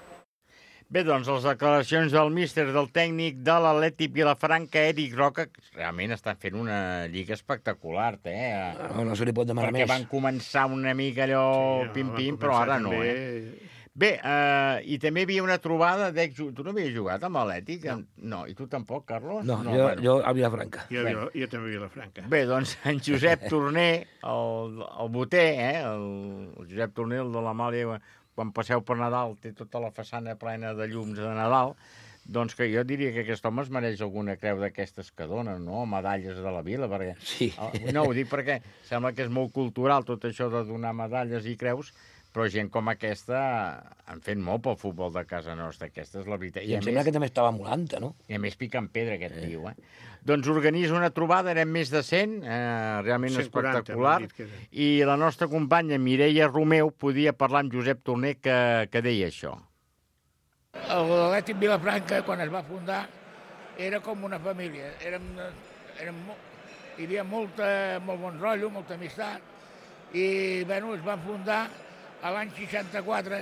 Bé, doncs, les declaracions del míster, del tècnic de l'Atlètic Vilafranca, Eric Roca, que realment estan fent una lliga espectacular, eh? No, no se li pot demanar Perquè més. van començar una mica allò Sí, pim-pim, van però ara començar no, també. eh? Bé, eh, i també hi havia una trobada d'ex... Tu no havies jugat amb l'Atlètic? No. no. I tu tampoc, Carlos? No, no jo, bueno. jo a Vilafranca. Jo, jo, jo també a Vilafranca. Bé, doncs en Josep Torner, el, el boter, eh? el, el Josep Torner, el de l'Amàlia, quan passeu per Nadal, té tota la façana plena de llums de Nadal, doncs que jo diria que aquest home es mereix alguna creu d'aquestes que donen, no? Medalles de la vila, perquè... Sí. No, ho dic perquè sembla que és molt cultural tot això de donar medalles i creus, però gent com aquesta han fet molt pel futbol de casa nostra, aquesta és la veritat. I em sembla que també estava a Molanta, no? I a més pica en pedra aquest eh. tio, eh? Doncs organitza una trobada, érem més de cent, eh, realment cent quaranta, espectacular, que i la nostra companya Mireia Romeu podia parlar amb Josep Torner que, que deia això. L'Atlètic Vilafranca, quan es va fundar, era com una família. Érem, érem, hi havia molta, molt bon rotllo, molta amistat, i bueno, es va fundar a l'any seixanta-quatre,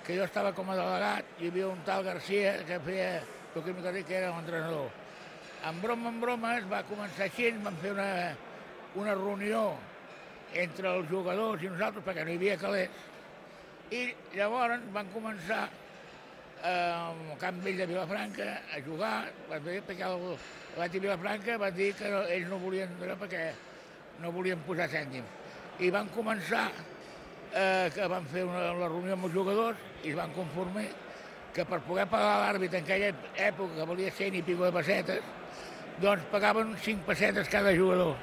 que jo estava com a delegat, hi havia un tal Garcia que feia que era l'entrenador. En broma, en broma, es va començar així, vam fer una, una reunió entre els jugadors i nosaltres, perquè no hi havia calés, i llavors van començar eh, al Camp Vell de Vilafranca a jugar, perquè l'Atlètic Vilafranca van dir que ells no volien perquè no volien posar cèntims. I van començar Eh, que van fer una, una reunió amb els jugadors i es van conformar que per poder pagar l'àrbit en aquella època, que valia cent i pico de pessetes, doncs pagaven cinc pessetes cada jugador.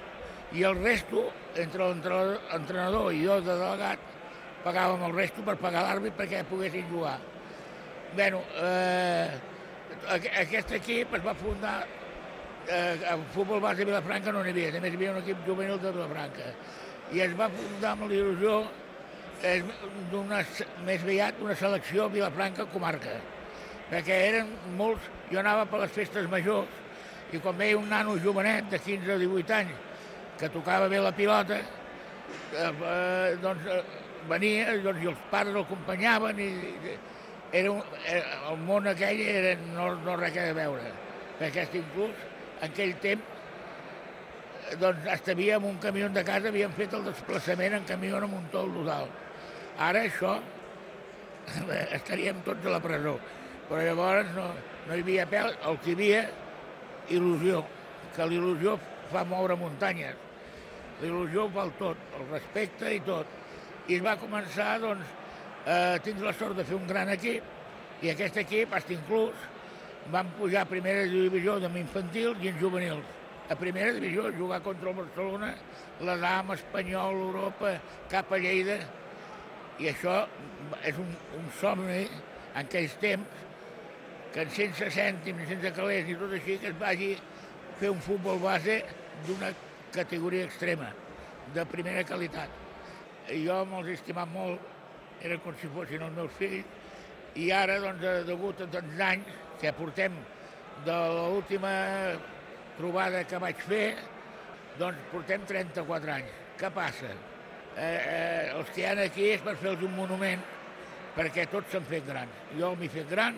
I el resto, entre l'entrenador i jo de delegat, pagàvem el resto per pagar l'àrbit perquè poguessin jugar. Bé, eh, aquest equip es va fundar, eh, el futbol base de Vilafranca no n'hi havia, també hi havia un equip juvenil de Vilafranca. I es va fundar amb l'il·lusió és d'una, més aviat una selecció Vilafranca comarca, perquè eren molts, jo anava per les festes majors i quan veia un nano jovenet de quinze o divuit anys que tocava bé la pilota, eh, eh, doncs eh, venia, doncs, i els pares l'acompanyaven, i, i era un, era, el món aquell era, no, no res a veure, perquè inclús en aquell temps doncs estaria en un camió de casa, havien fet el desplaçament en camió amb un tol total. Ara això estaríem tots a la presó, però llavors no, no hi havia pèl, el que hi havia il·lusió, que l'il·lusió fa moure muntanyes, l'il·lusió val tot, el respecte i tot. I es va començar, doncs, a tindre la sort de fer un gran equip, i aquest equip, fins inclús, van pujar a primera divisió amb infantils i en juvenils. A primera divisió, jugar contra el Barcelona, la Dama, Espanyol, Europa, cap a Lleida, i això és un, un somni en aquells temps, que sense cèntims, sense calés ni tot així, que es vagi fer un futbol base d'una categoria extrema, de primera qualitat. I jo me'ls he estimat molt, era com si fossin els meus fills, i ara, doncs, degut a tants anys que portem de l'última trobada que vaig fer, doncs portem trenta-quatre anys. Què passa? Eh, eh, els que hi ha aquí és per fer-los un monument, perquè tots s'han fet grans. Jo m'he fet gran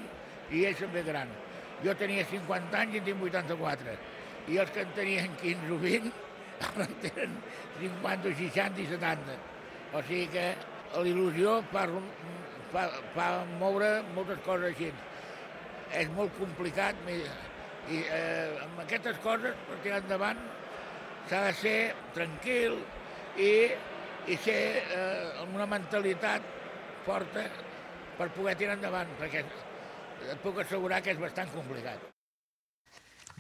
i ells s'han fet gran. Jo tenia cinquanta anys i en tinc vuitanta-quatre. I els que en tenien quinze o vint, ara en tenen cinquanta, seixanta i setanta. O sigui que l'il·lusió fa, fa, fa moure moltes coses així. És molt complicat, i eh, amb aquestes coses, per tirar endavant, s'ha de ser tranquil i, i ser eh, amb una mentalitat forta per poder tirar endavant, perquè et puc assegurar que és bastant complicat.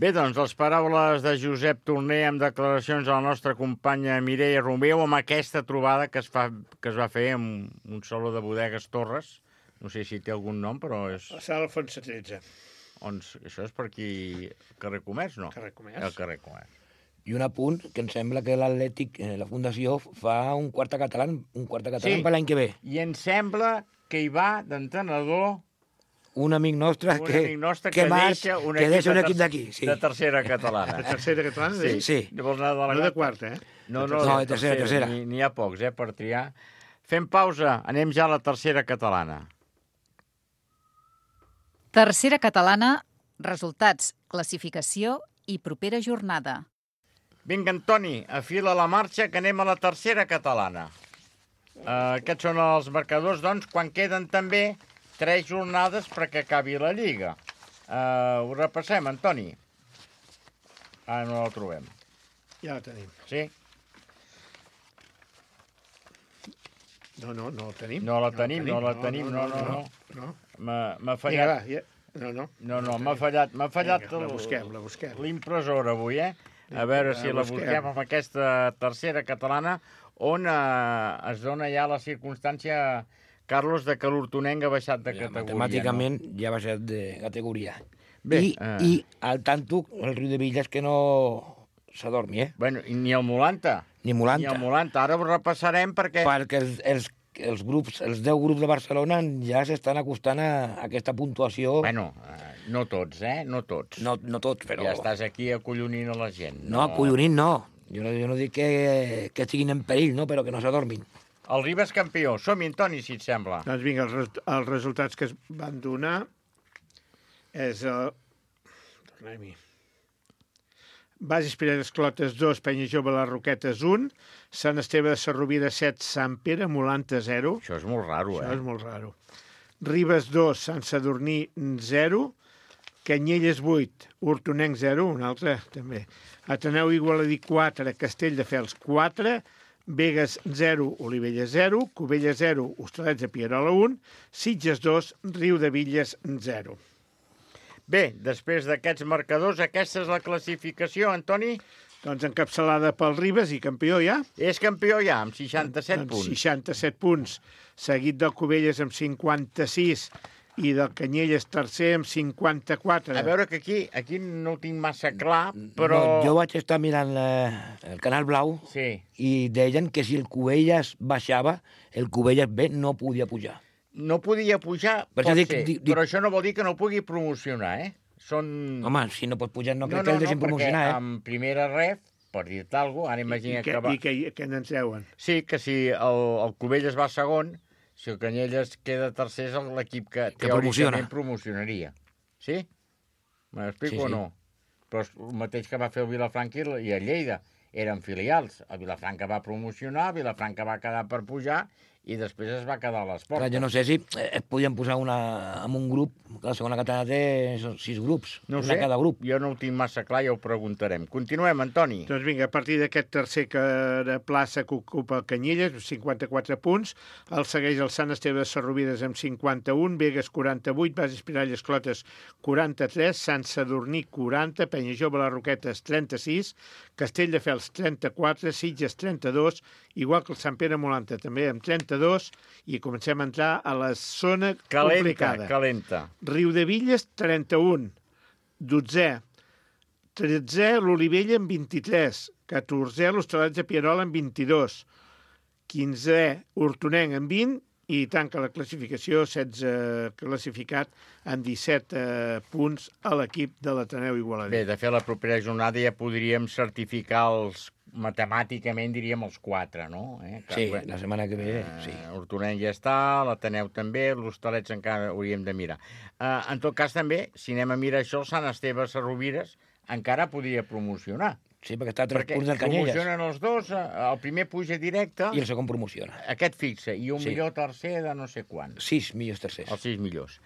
Bé, doncs, les paraules de Josep Torner amb declaracions a la nostra companya Mireia Romeu amb aquesta trobada que es, fa, que es va fer amb un saló de bodegues Torres. No sé si té algun nom, però és... La sala Alfonso tretze. On, això és per aquí... Carrer Comerç, no? Carrer Comerç. El carrer Comerç. I un apunt, que em sembla que l'Atlètic, eh, la Fundació, fa un quart català, un quart català sí. per l'any que ve. I em sembla que hi va d'entrenador... Un amic nostre un que, amic nostre que, que marx, deixa un que equip, deixa un de, equip d'aquí. Sí. De tercera catalana. De tercera catalana? Sí. sí. Vols anar de la no de quarta, eh? No, no, no de tercera, tercera. N'hi ha pocs, eh, per triar. Fem pausa, anem ja a la tercera catalana. Tercera catalana, resultats, classificació i propera jornada. Vinga, Antoni, afila la marxa, que anem a la tercera catalana. Uh, aquests són els marcadors, doncs, quan queden també tres jornades perquè acabi la Lliga. Uh, ho repassem, Antoni. Ara no la trobem. Ja la tenim. Sí? No, no, no la tenim. No la tenim, no la tenim, no, no, no. no. M'ha fallat... Vinga, va, ja. No, no. No, no, m'ha fallat, m'ha fallat Vinga, la busquem, la busquem. l'impressora avui, eh? A veure si la busquem amb aquesta tercera catalana, on eh, es dona ja la circumstància, Carlos, de que l'Hortonenc ha baixat de categoria. Matemàticament no? ja ha baixat de categoria. Bé, I, eh... I al tanto, el Riu de Villas que no s'adormi, eh? Bueno, ni el Molanta. Ni Molanta. Ni el Molanta. Ara ho repassarem perquè... Perquè els, els, els grups, els deu grups de Barcelona ja s'estan acostant a aquesta puntuació. Bueno, eh, no tots, eh? No tots. No, no tots, però... Ja estàs aquí acollonint a la gent. No, no acollonint no. Jo no, jo no dic que, que estiguin en perill, no? Però que no s'adormin. El Ribes campió. Som-hi, Antoni, si et sembla. Doncs vinga, els, els resultats que es van donar és el... Tornem-hi. Bases Piredes Clotes dos, Penya Jove Les Roquetes un, Sant Esteve de Sarrovira set, Sant Pere Molanta zero. Això és molt raro, Això eh? és molt raro. Ribes dos, Sant Sadurní zero, Canyelles vuit, Hortonenc zero, un altre també. Ateneu Igualadí quatre, Castelldefels quatre, Begues zero, Olivella zero, Cubella zero, Hostalets de Pierola un, Sitges dos, Riu de Villes zero. Bé, després d'aquests marcadors, aquesta és la classificació, Antoni? Doncs encapçalada pel Ribes i campió ja. És campió ja, amb seixanta-set punts. seixanta-set punts, seguit del Cubelles amb cinquanta-sis i del Canyelles tercer amb cinquanta-quatre. A veure que aquí aquí no ho tinc massa clar, però... No, jo vaig estar mirant eh, el Canal Blau sí. i deien que si el Cubelles baixava, el Cubelles B no podia pujar. No podia pujar, per pot dic, ser, dic, però això no vol dir que no pugui promocionar, eh? són... Home, si no pots pujar no crec no, que no, el deixin no, promocionar, eh? perquè en primera ref, per dir-te alguna cosa, ara imagina I, que, que va... I que, que n'en treuen. Sí, que si el, el Cubelles va segon, si el Canyelles queda tercer és l'equip que, Que teòricament promociona. promocionaria. Sí? M'explico Sí, sí. o no? Però és el mateix que va fer el Vilafranca i el Lleida. Eren filials. El Vilafranca va promocionar, el Vilafranca va quedar per pujar i després es va quedar a les portes. Clar, jo no sé si es podien posar una, en un grup, que la segona catalana té sis grups, No ho una sé, cada grup. jo no ho tinc massa clar, ja ho preguntarem. Continuem, Antoni. Doncs vinga, a partir d'aquest tercer que de plaça que ocupa el Canyelles, cinquanta-quatre punts, el segueix el Sant Esteve de Sarrovides amb cinquanta-un, Begues quaranta-vuit, Bases Piralles Clotes quaranta-tres, Sant Sadurní quaranta, Penyajove les Roquetes trenta-sis, Castelldefels trenta-quatre, Sitges trenta-dos, igual que el Sant Pere Molanta també amb trenta-dos, i comencem a entrar a la zona Calenta, complicada. calenta. Riudevilles, trenta-un. Dotzè. Tretzè, l'Olivella, amb vint-i-tres. Catorzè, l'Hostalets de Pierola, amb vint-i-dos. Quinzè, Hortonenc, amb vint. I tanca la classificació, setze classificat, amb disset eh, punts a l'equip de l'Ateneu Igualadí. Bé, de fet, la propera jornada ja podríem certificar els, matemàticament diríem els quatre, no? Eh? Sí, la setmana que ve, sí. Eh, Hortonenc ja està, l'Ateneu també, l'Hostalets encara hauríem de mirar. Eh, en tot cas, també, si anem a mirar això, el Sant Esteve Sarrovires encara podria promocionar. Sí, perquè està a tres perquè punts del Canyelles. promocionen els dos, eh, el primer puja directe... I el segon promociona. Aquest fixa, i un Sí. millor tercer de no sé quant. Sis millors tercers. Els sis millors.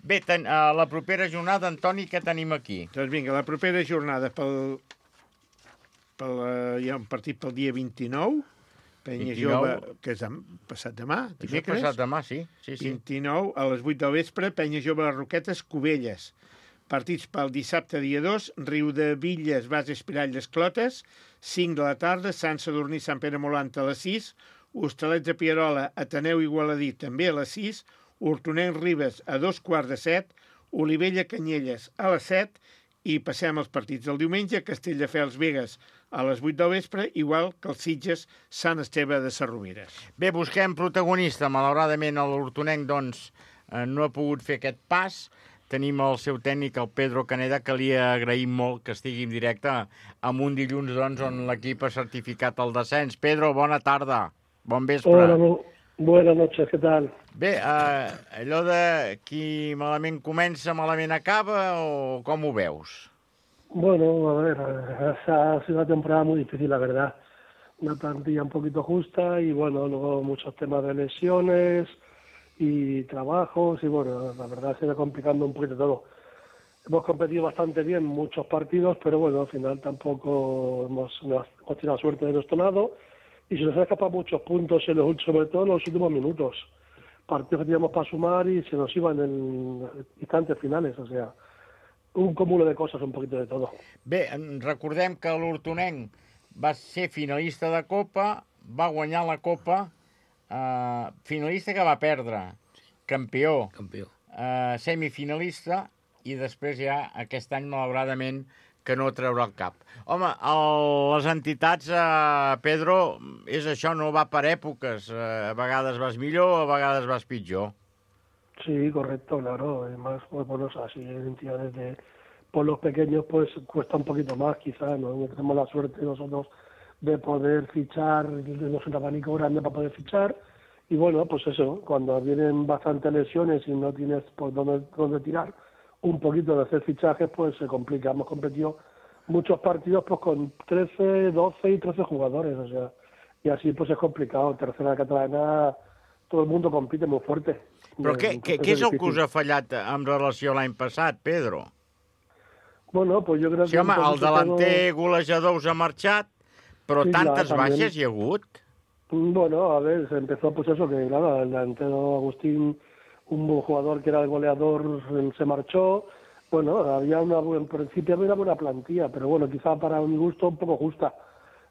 Bé, ten, a la propera jornada, Antoni, què tenim aquí? Doncs vinga, la propera jornada pel, pel, eh, hi ha un partit pel dia vint-i-nou, Penya vint-i-nou. Jove, que és dem, passat demà, Això és dimecres. passat demà, sí. sí, sí. vint-i-nou, a les vuit del vespre, Penya Jove les Roquetes, Cubelles. Partits pel dissabte, dia dos, Riudevilles, Bases Piralles Clotes, cinc de la tarda, Sant Sadurní, Sant Pere Molanta a les sis, Hostalets de Pierola, Ateneu Igualadí també a les sis, Hortonenc Ribes a dos quarts de set, Olivella Canyelles a les set, i passem als partits del diumenge, Castelldefels Begues a les vuit del vespre, igual que els Sitges Sant Esteve de Sarrovires. Bé, busquem protagonista. Malauradament, l'Hortonenc, doncs, eh, no ha pogut fer aquest pas. Tenim el seu tècnic, el Pedro Caneda, que li agraïm molt que estigui en directe amb un dilluns, doncs, on l'equip ha certificat el descens. Pedro, bona tarda. Bon vespre. Hola, bu- buenas noches, ¿qué tal? Bé, eh, allò de qui malament comença, malament acaba, o com ho veus? Bueno, a ver, esa ha sido una temporada muy difícil, la verdad. Una plantilla un poquito justa y, bueno, luego muchos temas de lesiones y trabajos y, bueno, la verdad se va complicando un poquito todo. Hemos competido bastante bien muchos partidos, pero, bueno, al final tampoco hemos, hemos tenido suerte de nuestro lado y se nos han escapado muchos puntos, en los, sobre todo en los últimos minutos. Partidos que teníamos para sumar y se nos iban en instantes finales, o sea, un cúmulo de cosas, un poquito de todo. Bé, en- recordem que l'Hortonenc va ser finalista de Copa, va guanyar la Copa, eh, finalista que va perdre, campió, campió. Eh, semifinalista, i després ja aquest any, malauradament, que no treurà el cap. Home, el, les entitats, eh, Pedro, és això, no va per èpoques. Eh, a vegades vas millor, a vegades vas pitjor. Sí, correcto, claro. Además, pues, bueno, así en entidades de pueblos pequeños, pues cuesta un poquito más, quizás, ¿no? No tenemos la suerte nosotros de poder fichar, tenemos un abanico grande para poder fichar. Y bueno, pues eso, cuando vienen bastantes lesiones y no tienes por dónde, dónde tirar un poquito de hacer fichajes, pues se complica. Hemos competido muchos partidos pues con trece, doce y trece jugadores, o sea, y así pues es complicado. Tercera catalana, todo el mundo compite muy fuerte. Però què, què, què és el que us difícil. ha fallat en relació a l'any passat, Pedro? Bueno, pues yo creo que... Sí, home, un el poquito delanter golejador us ha marxat, però Sí, clar, tantes també. baixes hi ha hagut. Bueno, a ver, se empezó pues eso, que claro, el delantero Agustín, un buen jugador que era el goleador, se marchó. Bueno, había una, en principio había una buena plantilla, pero bueno, quizá para mi gusto un poco justa.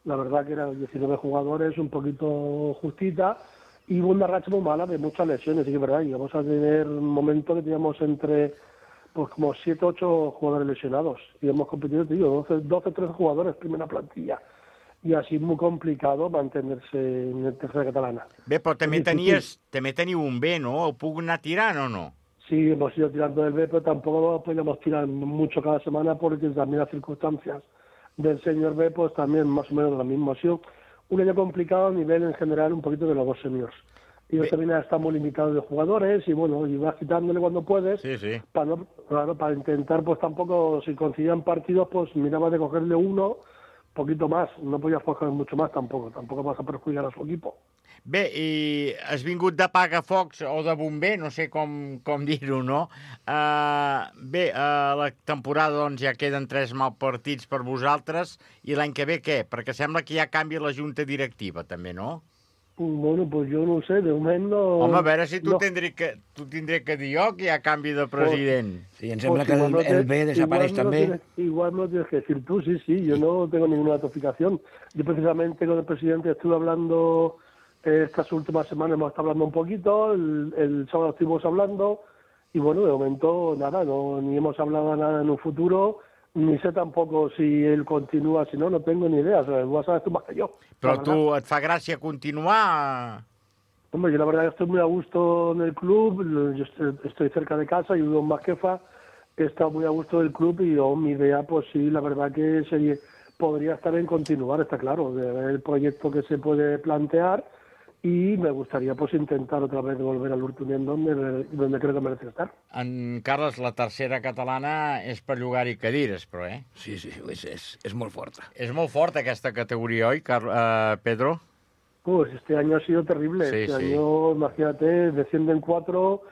La verdad que eran diecinueve jugadores, un poquito justita, y hubo una racha muy mala de muchas lesiones, sí que es verdad. Llegamos a tener un momento que teníamos entre pues como siete, ocho jugadores lesionados. Y hemos competido, te digo, doce, trece jugadores, primera plantilla. I així és molt complicat mantenir-se en la tercera catalana. Bé, però també, És difícil. tenies, també teniu un bé, no? Ho puc anar tirant o no? sí hemos ido tirando del B, pero tampoco podemos tirar mucho cada semana porque también las circunstancias del señor B, pues también más o menos lo mismo. Ha sido un año complicado a nivel en general un poquito de los dos seniors. Y yo también estamos limitados de jugadores y bueno, y vas quitándole cuando puedes, sí, sí. Para, no, claro, para intentar pues tampoco, si coincidían partidos, pues mirabas de cogerle uno, poquito más, no podías coger mucho más tampoco, tampoco vas a perjudicar a su equipo. Bé, i has vingut de pagafocs o de bomber, no sé com, com dir-ho, no? Uh, bé, uh, la temporada doncs, ja queden tres mal partits per vosaltres, i l'any que ve què? Perquè sembla que ja canvia la junta directiva, també, no? Bueno, pues yo no sé, de moment no... Home, a veure si tu, no. tindré que, tu tindré que dir jo que hi ha canvi de president. Pues, sí, em sembla pues que el, no el B desapareix igual també. No tienes, igual no tienes que decir tú, sí, sí, yo no tengo ninguna notificación. Yo precisamente con el presidente estuve hablando eh, estas últimas semanas, hemos estado hablando un poquito, el, el sábado estuvimos hablando, y bueno, de momento nada, no, ni hemos hablado nada en un futuro, ni sé tampoco si él continúa, si no, no tengo ni idea, o sea, lo sabes tú más que yo. Però tu et fa gràcia continuar? Hombre, yo la verdad que estoy muy a gusto en el club, yo estoy, estoy cerca de casa, yo vivo en Masquefa, he estado muy a gusto del club y yo, mi idea, pues sí, la verdad que sería, podría estar en continuar, está claro, de ver el proyecto que se puede plantear y me gustaría pues intentar otra vez volver al Urtunien donde, donde creo que merece estar. En Carles, la tercera catalana és per llogar-hi cadires, però, eh? Sí, sí, és, és, és molt forta. És molt forta aquesta categoria, oi, Car uh, Pedro? Pues este año ha sido terrible. Sí, este sí. año, imagínate, descienden cuatro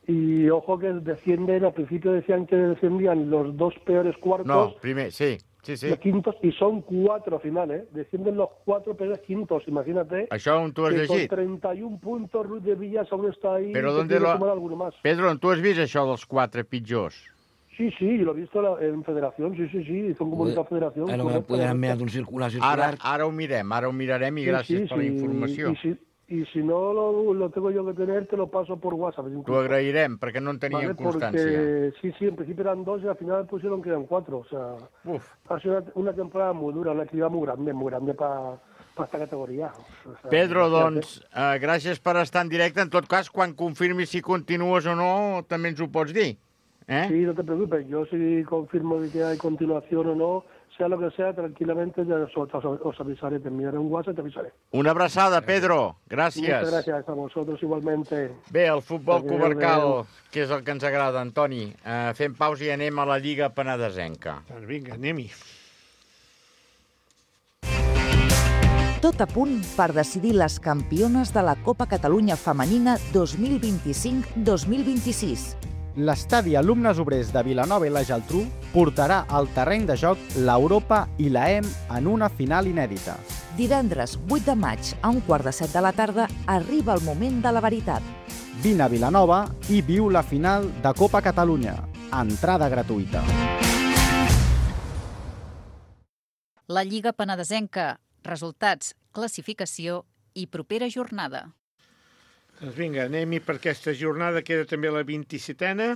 y ojo que descienden, al principio decían que descendían los dos peores cuartos. No, primer, sí, sí, sí. Los quintos, y son cuatro finales, ¿eh? Descienden los cuatro peores quintos, imagínate. Això on tu has que llegit? con treinta y un puntos, Ruiz de Villas aún está ahí. Però que ¿dónde tiene que lo... sumar alguno más. Pedro, on tu has vist això dels quatre pitjors? Sí, sí, yo lo he visto en Federación, sí, sí, sí, hizo un comunicado a Federación. Ara me podem enviar un circular Ara, circular. ara ho mirem, ara ho mirarem i Sí, gràcies sí, per la sí, informació. Y si, y si no lo, lo tengo yo que tener, te lo paso por WhatsApp. T'ho agrairem, perquè no en teníem Vale, constància. porque sí, sí, en principio eran dos y al final pusieron que eran cuatro. O sea, Uf. ha sido una, una temporada muy dura, una actividad muy grande, muy grande para pa esta categoría. O sea, Pedro, imagínate. doncs, uh, gràcies per estar en directe. En tot cas, quan confirmis si continues o no, també ens ho pots dir. Eh? Sí, no te preocupes. Yo si confirmo de que hay continuación o no, sea lo que sea, tranquilamente ya os, os, os avisaré. Te enviaré un WhatsApp y te avisaré. Una abraçada, Pedro. Gràcies. Muchas gracias a vosotros igualmente. Bé, el futbol Adéu, comarcal, adéu. que és el que ens agrada, Antoni. Uh, fem pausa i anem a la Lliga Penedesenca. Doncs vinga, anem-hi. Tot a punt per decidir les campiones de la Copa Catalunya Femenina dos mil vint-i-cinc dos mil vint-i-sis. L'estadi Alumnes Obrers de Vilanova i la Geltrú portarà al terreny de joc l'Europa i la E M en una final inèdita. Divendres vuit de maig a un quart de set de la tarda arriba el moment de la veritat. Vine a Vilanova i viu la final de Copa Catalunya. Entrada gratuïta. La Lliga Penedesenca. Resultats, classificació i propera jornada. Doncs vinga, anem-hi per aquesta jornada, queda també la vint-i-setena.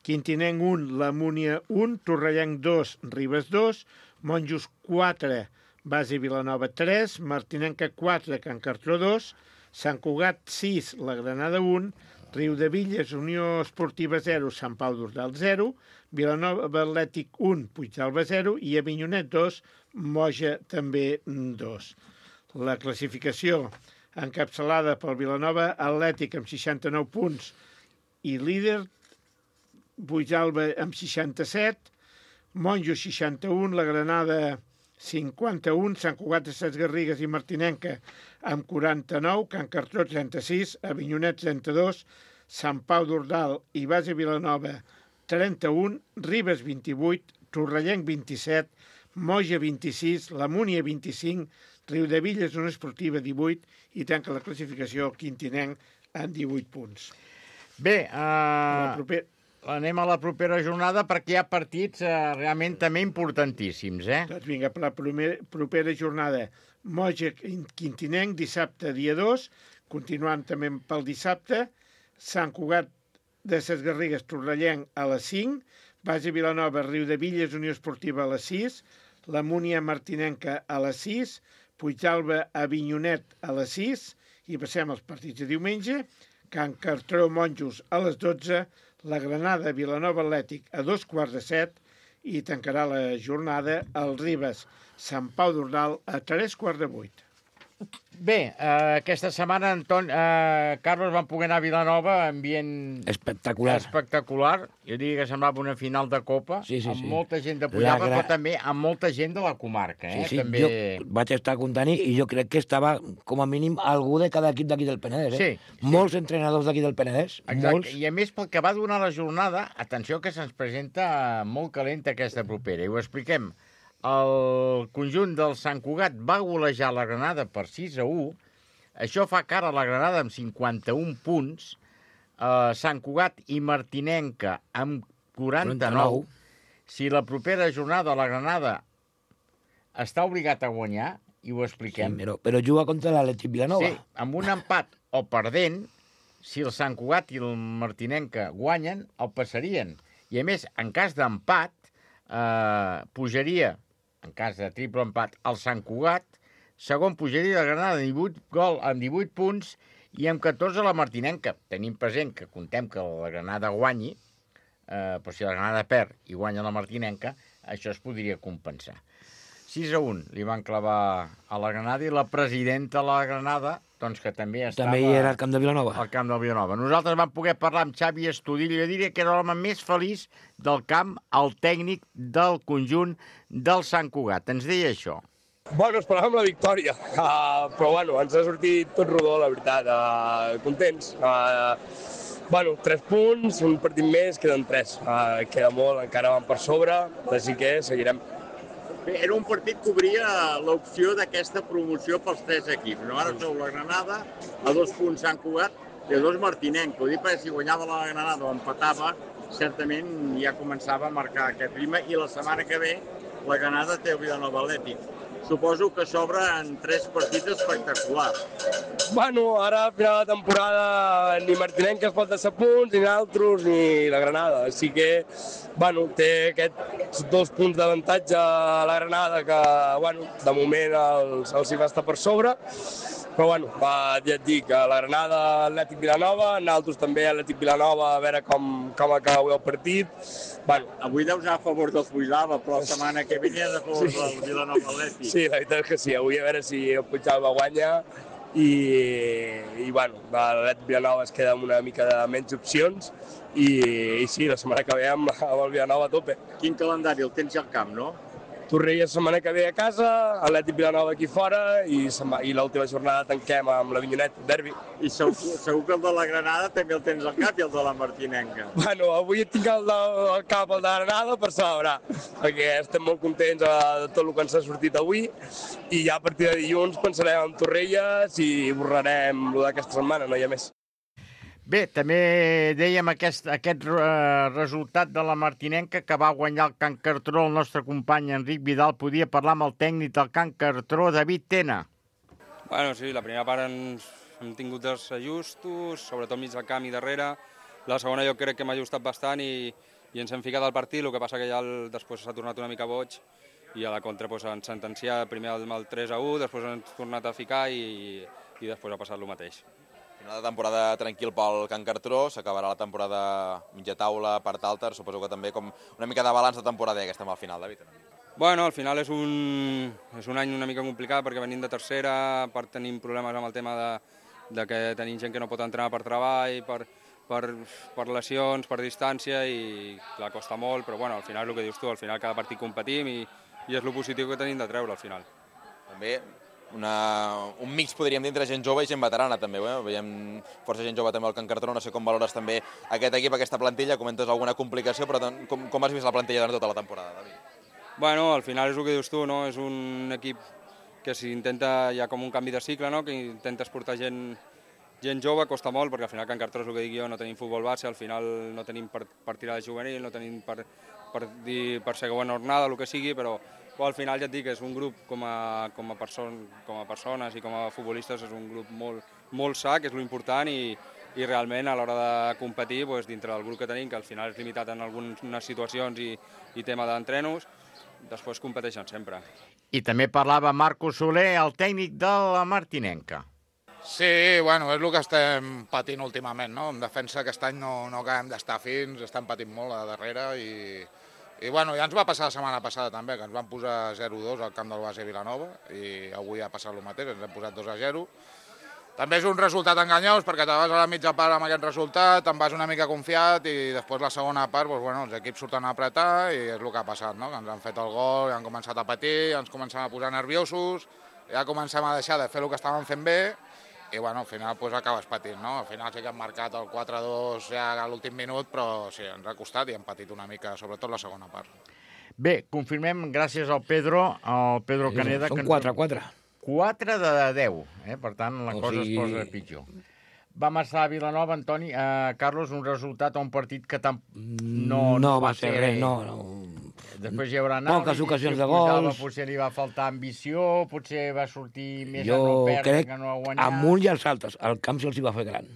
Quintinenc un, La Múnia un, Torrellenc dos, Ribes dos, Monjos quatre, Base Vilanova tres, Martinenca quatre, Can Cartró dos, Sant Cugat sis, La Granada un, Riudevilles, Unió Esportiva zero, Sant Pau d'Urdal zero, Vilanova Atlètic un, Puigdalba zero i Avinyonet dos, Moja també dos. La classificació encapçalada pel Vilanova Atlètic amb seixanta-nou punts i líder, Puigdalba amb seixanta-set, Monjo seixanta-un, La Granada cinquanta-un, Sant Cugat de Ses Garrigues i Martinenca amb quaranta-nou, Can Cartró trenta-sis, Avinyonet trenta-dos, Sant Pau d'Ordal i Base Vilanova trenta-un, Ribes vint-i-vuit, Torrellenc vint-i-set, Moja vint-i-sis, La Múnia vint-i-cinc, Riudevilles Unió Esportiva divuit i tanca la classificació Quintinenc amb divuit punts. Bé, uh, proper... anem a la propera jornada perquè hi ha partits uh, realment també importantíssims, eh? Doncs vinga, per la primer, propera jornada, Moja Quintinenc, dissabte dia dos, continuant també pel dissabte, Sant Cugat de Ses Garrigues, Torrellenc a les cinc, Base Vilanova, Riudevilles, Unió Esportiva a les sis, La Múnia Martinenca a les sis, Puigdalba, Avinyonet a les sis, i passem als partits de diumenge, Can Cartró Monjos a les dotze, la Granada Vilanova Atlètic a dos quarts de set i tancarà la jornada el Ribes Sant Pau d'Ordal a tres quarts de vuit. Bé, eh, aquesta setmana, Anton, eh, Carlos, van poder anar a Vilanova, ambient espectacular. espectacular. Jo diria que semblava una final de Copa, sí, sí, amb sí. molta gent de Pujava, gra... però també amb molta gent de la comarca. Eh? Sí, sí, també... jo vaig estar comptant i jo crec que estava, com a mínim, algú de cada equip d'aquí del Penedès. Eh? Sí, sí. Molts entrenadors d'aquí del Penedès. Exacte, molts. i a més pel que va donar la jornada, atenció que se'ns presenta molt calenta aquesta propera, i ho expliquem. El conjunt del Sant Cugat va golejar la Granada per sis a u. Això fa cara a la Granada amb cinquanta-un punts, eh, Sant Cugat i Martinenca amb quaranta-nou. Si la propera jornada la Granada està obligat a guanyar, i ho expliquem... Sí, però, però juga contra l'Atlètic Vilanova. Sí, amb un empat o perdent, si el Sant Cugat i el Martinenca guanyen, el passarien. I a més, en cas d'empat, eh, pujaria, en cas de triple empat, el Sant Cugat, segon pujaria la Granada amb divuit, gol, amb divuit punts i amb catorze la Martinenca. Tenim present que contem que la Granada guanyi, eh, però si la Granada perd i guanya la Martinenca, això es podria compensar. sis a un li van clavar a la Granada i la presidenta de la Granada, doncs que també estava... També hi era al camp de Vilanova. Al camp del Vilanova. Nosaltres vam poder parlar amb Xavi Estudillo, jo diria que era l'home més feliç del camp, el tècnic del conjunt del Sant Cugat. Ens deia això. Bueno, esperàvem la victòria, uh, però bueno, ens ha sortit tot rodó, la veritat, uh, contents. Uh, bueno, tres punts, un partit més, queden tres. Uh, queda molt, encara van per sobre, així que seguirem. Bé, era un partit que obria l'opció d'aquesta promoció pels tres equips. No? Ara sou la Granada, a dos punts Sant Cugat i a dos Martinenca. Ho dic perquè si guanyava la Granada o empatava, certament ja començava a marcar aquest ritme i la setmana que ve la Granada té el Vilanova Atlètic. Suposo que s'obre en tres partits espectaculars. Bueno, ara a final de temporada ni Martinenca es pot deixar punts, ni nosaltres, ni la Granada. Així que, bueno, té aquests dos punts d'avantatge a la Granada que, bueno, de moment els, els hi va estar per sobre. Però, bueno, va, ja et dic, a la Granada, Atlètic Vilanova, nosaltres també Atlètic Vilanova, a veure com, com acaba el partit. Bueno, avui deus anar a favor del Puigdàlber, però la setmana que ve a favor sí. del Vilanova Atlètic. Sí, la veritat és que sí. Avui a veure si el Puigdàlber guanya i, i bueno, l'Atlètic Vilanova es queda amb una mica de menys opcions i, i sí, la setmana que ve amb, amb el Vilanova a tope. Quin calendari? El tens ja al camp, no? Torrella la setmana que ve a casa, Atlètic Vilanova aquí fora i, i l'última jornada tanquem amb l'Avinyonet, derbi. I segur, segur que el de la Granada també el tens al cap i el de la Martinenca. Bueno, avui tinc el del cap, el de la Granada, per celebrar, perquè estem molt contents de tot el que ens ha sortit avui i ja a partir de dilluns pensarem en Torrelles i borrarem el d'aquesta setmana, no hi ha més. Bé, també dèiem aquest, aquest uh, resultat de la Martinenca que va guanyar el Can Cartró, el nostre company Enric Vidal. Podia parlar amb el tècnic del Can Cartró, David Tena. Bueno, sí, la primera part ens hem tingut els ajustos, sobretot mig del camp i darrere. La segona jo crec que m'ha ajustat bastant i, i ens hem ficat al partit, el que passa que ja el, després s'ha tornat una mica boig i a la contra doncs, ens sentencià primer amb el tres a u, després ens ha tornat a ficar i, i després ha passat el mateix. Final de temporada tranquil pel Can Cartró, s'acabarà la temporada mitja taula, part alta, suposo que també com una mica de balanç de temporada que estem al final, David. Bueno, al final és un, és un any una mica complicat perquè venim de tercera, a part tenim problemes amb el tema de, de que tenim gent que no pot entrenar per treball, per, per, per lesions, per distància i clar, costa molt, però bueno, al final el que dius tu, al final cada partit competim i, i és el positiu que tenim de treure al final. També Una, un mix, podríem dir, entre gent jove i gent veterana, també. Eh? Veiem força gent jove també al Can Cartró. No sé com valores també aquest equip, aquesta plantilla. Comentes alguna complicació, però com, com has vist la plantilla durant tota la temporada, David? Bueno, al final és el que dius tu, no? És un equip que s'intenta, hi ha com un canvi de cicle, no? Que intentes portar gent, gent jove, costa molt, perquè al final Can Cartró, és el que dic jo, no tenim futbol base, al final no tenim per, per tirar de juvenil, no tenim per, per, dir, per segona jornada, el que sigui, però Però al final ja et dic que és un grup com a, com a, person, com a persones i com a futbolistes és un grup molt, molt sa, que és l'important i, i realment a l'hora de competir doncs, dintre del grup que tenim, que al final és limitat en algunes situacions i, i tema d'entrenos, després competeixen sempre. I també parlava Marco Soler, el tècnic de la Martinenca. Sí, bueno, és el que estem patint últimament, no? En defensa aquest any no, no acabem d'estar fins, estem patint molt a darrere i, i bueno, ja ens va passar la setmana passada també, que ens van posar zero dos al camp del Base Vilanova i avui ha passat el mateix, ens hem posat dos a zero. També és un resultat enganyós perquè te vas a la mitja part amb aquest resultat, te'n vas una mica confiat i després la segona part, doncs, bueno, els equips surten a apretar i és el que ha passat, no? Que ens han fet el gol, i han començat a patir, ens comencem a posar nerviosos, ja comencem a deixar de fer el que estàvem fent bé i bueno, al final pues, acabes patint, no? Al final sí que hem marcat el quatre dos ja a l'últim minut, però sí, ens ha costat i hem patit una mica, sobretot la segona part. Bé, confirmem, gràcies al Pedro, al Pedro Caneda... Són quatre, quatre. quatre de deu, eh? Per tant, la o cosa sigui... es posa pitjor. Vam estar a Vilanova, Antoni. Uh, Carlos, un resultat a un partit que tam... no, no, no va ser res, no, no. Després hi haurà anàlisi, poques ocasions si de Pujava, gols. Potser li va faltar ambició, potser va sortir més jo a no perdre crec que no a guanyar. amunt i als altres. El camp se'ls va fer gran.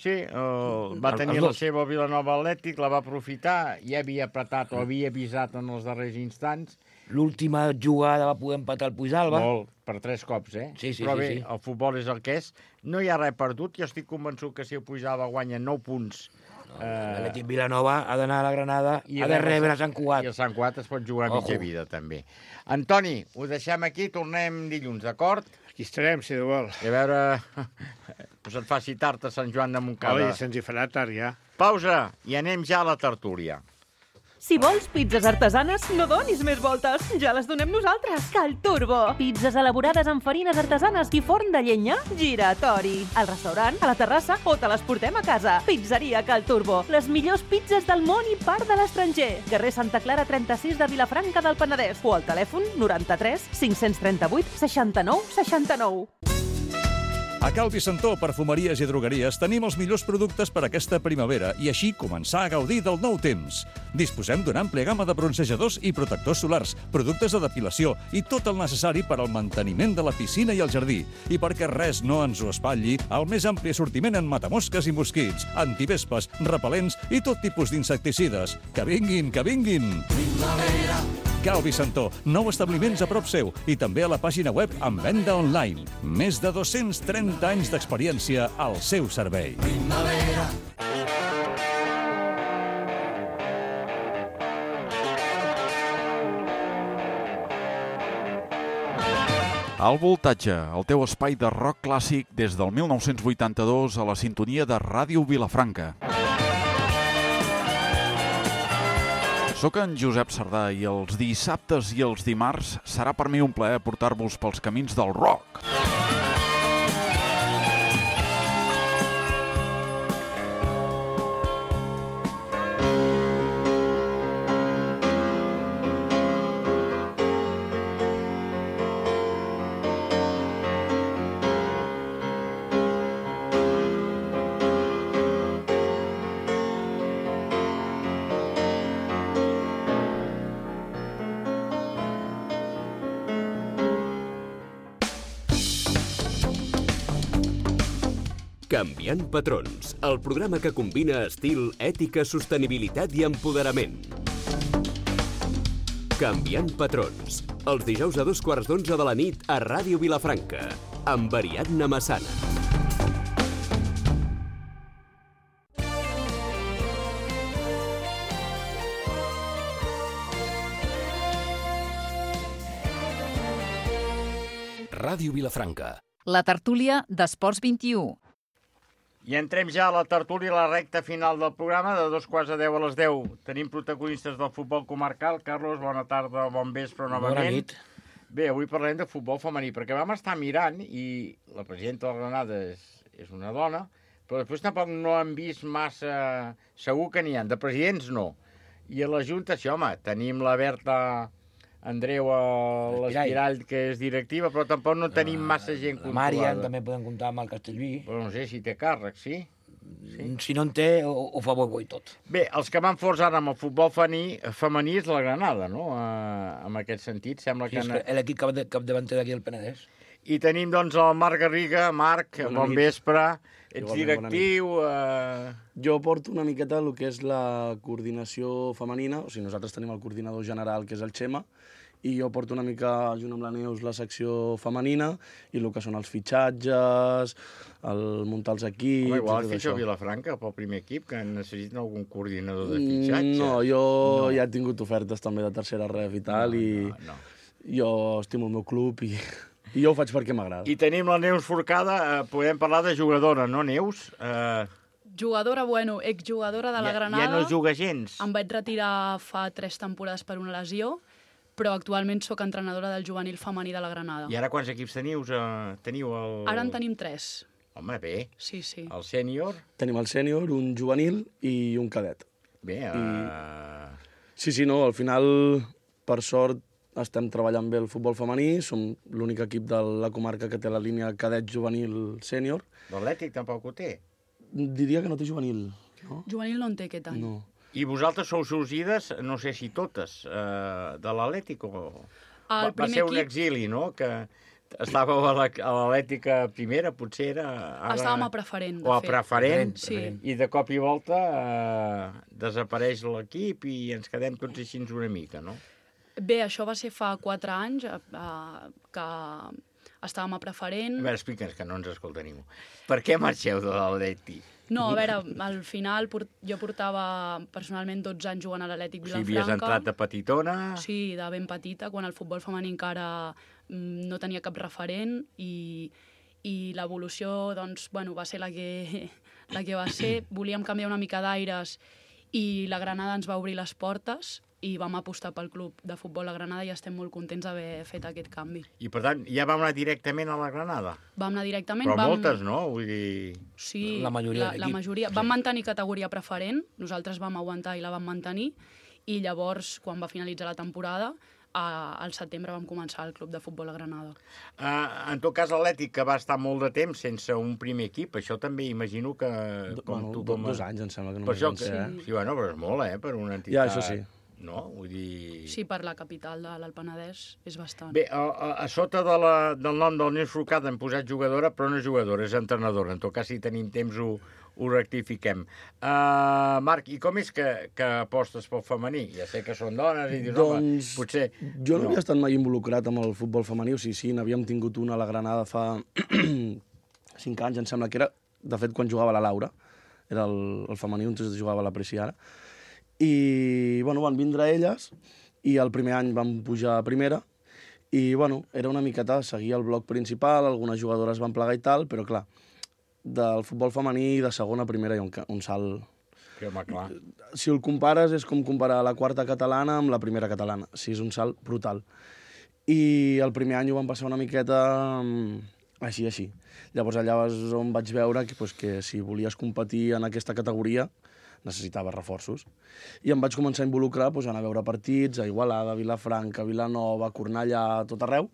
Sí, uh, va El, tenir la seva Vilanova Atlètic, la va aprofitar, ja havia apretat o havia avisat en els darrers instants. L'última jugada va poder empatar el Puigdàlber. Molt, per tres cops, eh? Sí, sí, Però sí, bé, sí. el futbol és el que és. No hi ha res perdut. Jo estic convençut que si el Puigdàlber guanya nou punts... No, eh... L'Atlètic Vilanova ha d'anar a la Granada, i ha de rebre a Sant Cugat. I el Sant Cugat es pot jugar a mitja Ojo. vida, també. Antoni, ho deixem aquí, tornem dilluns, d'acord? Aquí estarem, si de vol. I a veure... pues et faci tard a Sant Joan de Montcada. Oi, se'ns hi farà tard, ja. Pausa, i anem ja a la tertúlia. Si vols pizzas artesanes, no donis més voltes. Ja les donem nosaltres. Cal Turbo. Pizzas elaborades amb farines artesanes i forn de llenya giratori. Al restaurant, a la terrassa o te les portem a casa. Pizzeria Cal Turbo. Les millors pizzas del món i part de l'estranger. Carrer Santa Clara trenta-sis de Vilafranca del Penedès. O al telèfon noranta-tres cinc-cents trenta-vuit seixanta-nou seixanta-nou. A Cal Vicentó, perfumeries i drogueries, tenim els millors productes per aquesta primavera i així començar a gaudir del nou temps. Disposem d'una àmplia gamma de bronzejadors i protectors solars, productes de depilació i tot el necessari per al manteniment de la piscina i el jardí. I perquè res no ens ho espatlli, el més ampli assortiment en matamosques i mosquits, antivespes, repel·lents i tot tipus d'insecticides. Que vinguin, que vinguin! Primavera! Cal Vicentó, nou establiments a prop seu i també a la pàgina web amb venda online. Més de dos-cents trenta anys d'experiència al seu servei. Primavera. Al Voltatge, el teu espai de rock clàssic des del mil nou-cents vuitanta-dos a la sintonia de Ràdio Vilafranca. Soc en Josep Sardà i els dissabtes i els dimarts serà per mi un plaer portar-vos pels camins del rock. Canviant patrons, el programa que combina estil, ètica, sostenibilitat i empoderament. Canviant patrons, els dijous a dos quarts d'onze de la nit a Ràdio Vilafranca, amb Ariadna Massana. Ràdio Vilafranca. La tertúlia d'Esports vint-i-u. I entrem ja a la tertúlia, a la recta final del programa, de dos quarts de deu a les deu. Tenim protagonistes del futbol comarcal. Carlos, bona tarda, bon vespre novament. Bona nit. Bé, avui parlem de futbol femení, perquè vam estar mirant i la presidenta de la Granada és, és una dona, però després tampoc no hem vist massa... Segur que n'hi ha, de presidents no. I a la Junta, sí, home, tenim la Berta Andreu a l'Espirall, que és directiva, però tampoc no tenim massa gent La controlada. Màrian també podem comptar amb el Castellví. Però no sé si té càrrec, sí? sí? Si no en té, ho, ho fa bo i tot. Bé, els que van forts ara amb el futbol femení, femení és la Granada, no? Uh, en aquest sentit, sembla Sí, que... és Na... que l'equip cap, capdavanter d'aquí al Penedès. I tenim, doncs, el Marc Garriga. Marc, Bona bon nit. vespre. Ets Igualment, directiu... Uh... Jo porto una miqueta el que és la coordinació femenina, o sigui, nosaltres tenim el coordinador general, que és el Xema, i jo porto una mica, junt amb la Neus, la secció femenina i el que són els fitxatges, el muntar els equips... Home, igual tot fitxa això. a Vilafranca pel primer equip, que necessiten algun coordinador de fitxatge. No, jo No. ja he tingut ofertes també de tercera ref i tal, i no. jo estimo el meu club i, i jo ho faig perquè m'agrada. I tenim la Neus Forcada, eh, podem parlar de jugadora, no, Neus? Eh, Jugadora, bueno, exjugadora de la ja, Granada. ja no juga gens. Em vaig retirar fa tres temporades per una lesió, però actualment sóc entrenadora del juvenil femení de la Granada. I ara quants equips teniu? Eh, teniu el... Ara en tenim tres. Home, bé. Sí, sí. El sènior? Tenim el sènior, un juvenil i un cadet. Bé, eh... I... Sí, sí, no, al final, per sort, estem treballant bé el futbol femení, som l'únic equip de la comarca que té la línia cadet juvenil sènior. L'Atlètic tampoc ho té. Diria que no té juvenil, no? Juvenil no en té aquest any. No. I vosaltres sou sorgides, no sé si totes, eh, de l'Atlètic o... El va, va primer ser un equip- exili, no?, que estàveu a la- a l'Atlètica primera, potser era... Ara... Estàvem a preferent, de O a fet. preferent, Sí. i de cop i volta eh, desapareix l'equip i ens quedem tots així una mica, no? Bé, això va ser fa quatre anys, eh, que estàvem a preferent. A veure, explica'ns, que no ens escolta ningú. Per què marxeu de l'Atlètic? No, a veure, al final port, jo portava personalment dotze anys jugant a l'Atlètic Si Vilafranca. havies entrat de petitona... Sí, de ben petita, quan el futbol femení encara mm, no tenia cap referent i, i l'evolució doncs, bueno, va ser la que, la que va ser. Volíem canviar una mica d'aires i la Granada ens va obrir les portes i vam apostar pel club de futbol a Granada i estem molt contents d'haver fet aquest canvi. I, per tant, ja vam anar directament a la Granada? Vam anar directament... Però vam... moltes, no? Vull dir... Sí, La majoria la, de la l'equip. majoria. Vam mantenir categoria preferent, nosaltres vam aguantar i la vam mantenir, i llavors, quan va finalitzar la temporada, a, al setembre vam començar el club de futbol a Granada. Uh, en tot cas, l'Atlètic, que va estar molt de temps sense un primer equip, això també imagino que... Com Bueno, tu, do- com a- dos anys, em sembla que Per només això van que... ser, Sí. eh? sí, bueno, però és molt, eh, per una entitat... Ja, això sí. No? Vull dir... Sí, per la capital de l'Alpenedès és bastant. Bé, a, a, a sota de la, del nom del Neus Forcada hem posat jugadora, però no és jugadora, és entrenadora. En tot cas, si tenim temps, ho, ho rectifiquem. Uh, Marc, i com és que, que apostes pel femení? Ja sé que són dones i dius, home, Doncs potser... jo no, havia estat mai involucrat amb el futbol femení, o sigui, sí, n'havíem tingut una a la Granada fa cinc anys, em sembla que era, de fet, quan jugava la Laura, era el, el femení on jugava la Preci ara, i, bueno, van vindre elles, i el primer any van pujar a primera, i, bueno, era una miqueta seguir el bloc principal, algunes jugadores van plegar i tal, però, clar, del futbol femení de segona a primera hi ha un, ca- un salt. Que, home, clar. Si el compares, és com comparar la quarta catalana amb la primera catalana. Sí, és un salt brutal. I el primer any ho vam passar una miqueta mm, així, així. Llavors allà és on vaig veure que, pues, que si volies competir en aquesta categoria necessitaves reforços. I em vaig començar a involucrar, pues, a anar a veure partits a Igualada, Vilafranca, Vilanova, Cornellà, tot arreu,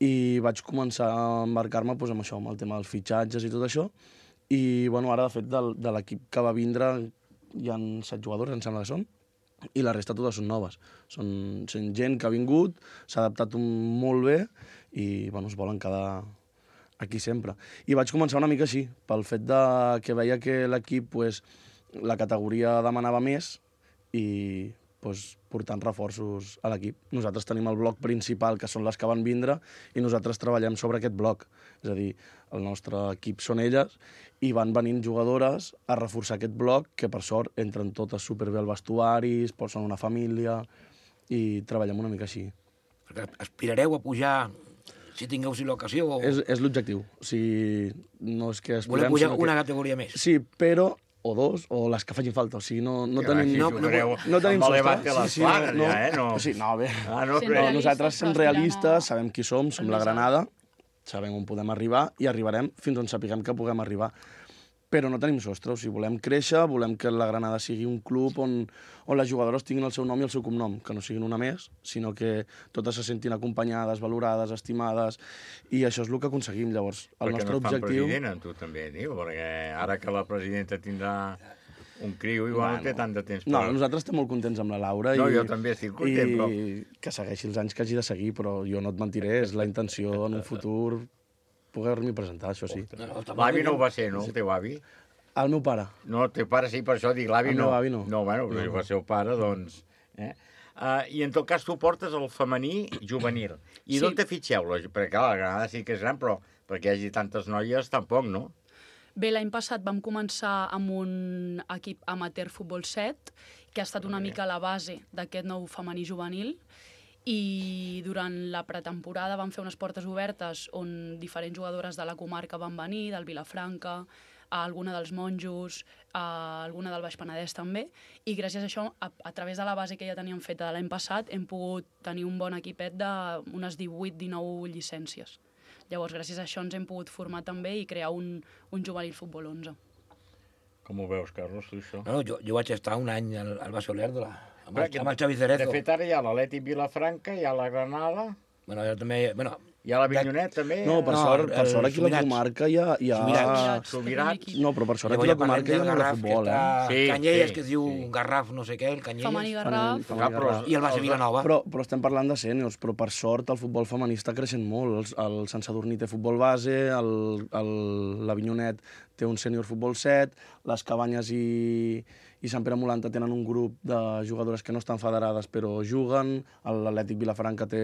i vaig començar a embarcar-me, pues, amb això, amb el tema dels fitxatges i tot això. I, bueno, ara, de fet, del, de l'equip que va vindre hi ha set jugadors, em sembla que són, i la resta totes són noves. Són, són gent que ha vingut, s'ha adaptat un, molt bé i, bueno, es volen quedar aquí sempre. I vaig començar una mica així, pel fet de que veia que l'equip, pues, la categoria demanava més i, pues, portant reforços a l'equip. Nosaltres tenim el bloc principal, que són les que van vindre, i nosaltres treballem sobre aquest bloc. És a dir, el nostre equip són elles, i van venint jugadores a reforçar aquest bloc, que per sort entren totes superbé al vestuari, són una família, i treballem una mica així. Perquè aspirareu a pujar si tingueu si l'ocasió? O... És, és l'objectiu. O sigui, no és que Voleu aspirem... pujar sinó que- una categoria més? Sí, però o dos, o les que facin falta. O sigui, no, no Que tenim... així No, jugareu no tenim amb el sostre. Levante a les planes, no, ja, eh? No. O sigui, no, bé. Ah, no, no, però- nosaltres som però realistes, sabem qui som, som la Granada, sabem on podem arribar i arribarem fins on sapiguem que puguem arribar. Però no tenim sostre, o sigui, volem créixer, volem que la Granada sigui un club on, on les jugadores tinguin el seu nom i el seu cognom, que no siguin una més, sinó que totes se sentin acompanyades, valorades, estimades, i això és el que aconseguim. Llavors, el Perquè nostre no et fan objectiu... president, en tu també, diu, perquè ara que la presidenta tindrà un criu, igual Bueno, no té tant de temps. No, però- nosaltres estem molt contents amb la Laura. No, i, jo també estic content, i però- que segueixi els anys que hagi de seguir, però jo no et mentiré, és la intenció en un futur poder-m'hi presentar, això sí. L'avi no ho va ser, no, el teu avi? El meu pare. No, el teu pare sí, per això dic, l'avi El no. meu avi no. No, bueno, però No, si no. va ser el pare, doncs... Eh? Uh, I en tot cas tu portes el femení juvenil. I Sí. d'on te fitxeu? Perquè clar, la Granada sí que és gran, però perquè hi hagi tantes noies tampoc, no? Bé, l'any passat vam començar amb un equip amateur futbol set, que ha estat una mica la base d'aquest nou femení juvenil, i durant la pretemporada vam fer unes portes obertes on diferents jugadores de la comarca van venir, del Vilafranca, a alguna dels Monjos, a alguna del Baix Penedès també, i gràcies a això, a, a través de la base que ja teníem feta de l'any passat, hem pogut tenir un bon equipet d'unes divuit dinou llicències. Llavors, gràcies a això ens hem pogut formar també i crear un, un juvenil futbol onze. Com ho veus, Carlos, tu això? No, jo, jo vaig estar un any al, al Base Olèrdola, amb, Perquè, amb el Xavi Cerezo. De fet, ara hi ha l'Atlètic Vilafranca, hi ha la Granada... Bueno, jo també... Bueno, hi ha la Vinyonet, també. No, per no, sort, per sort aquí a la Subirats. comarca hi ha... Hi ha... Subirats. Subirats. No, però per sort aquí a Llavors la ja parlem comarca hi ha del molt de Garraf, futbol, que està eh? Sí, Canyelles, sí, que es diu sí. Garraf, no sé què, el Canyelles. Femení Garraf. Femení Garraf. I el Base Vilanova. Però, però estem parlant de sèniors, però per sort el futbol femení està creixent molt. El, el Sant Sadurní té futbol base, el, el, l'Avinyonet té un sènior futbol set, les Cabanyes i, i Sant Pere Molanta tenen un grup de jugadores que no estan federades però juguen, l'Atlètic Vilafranca té,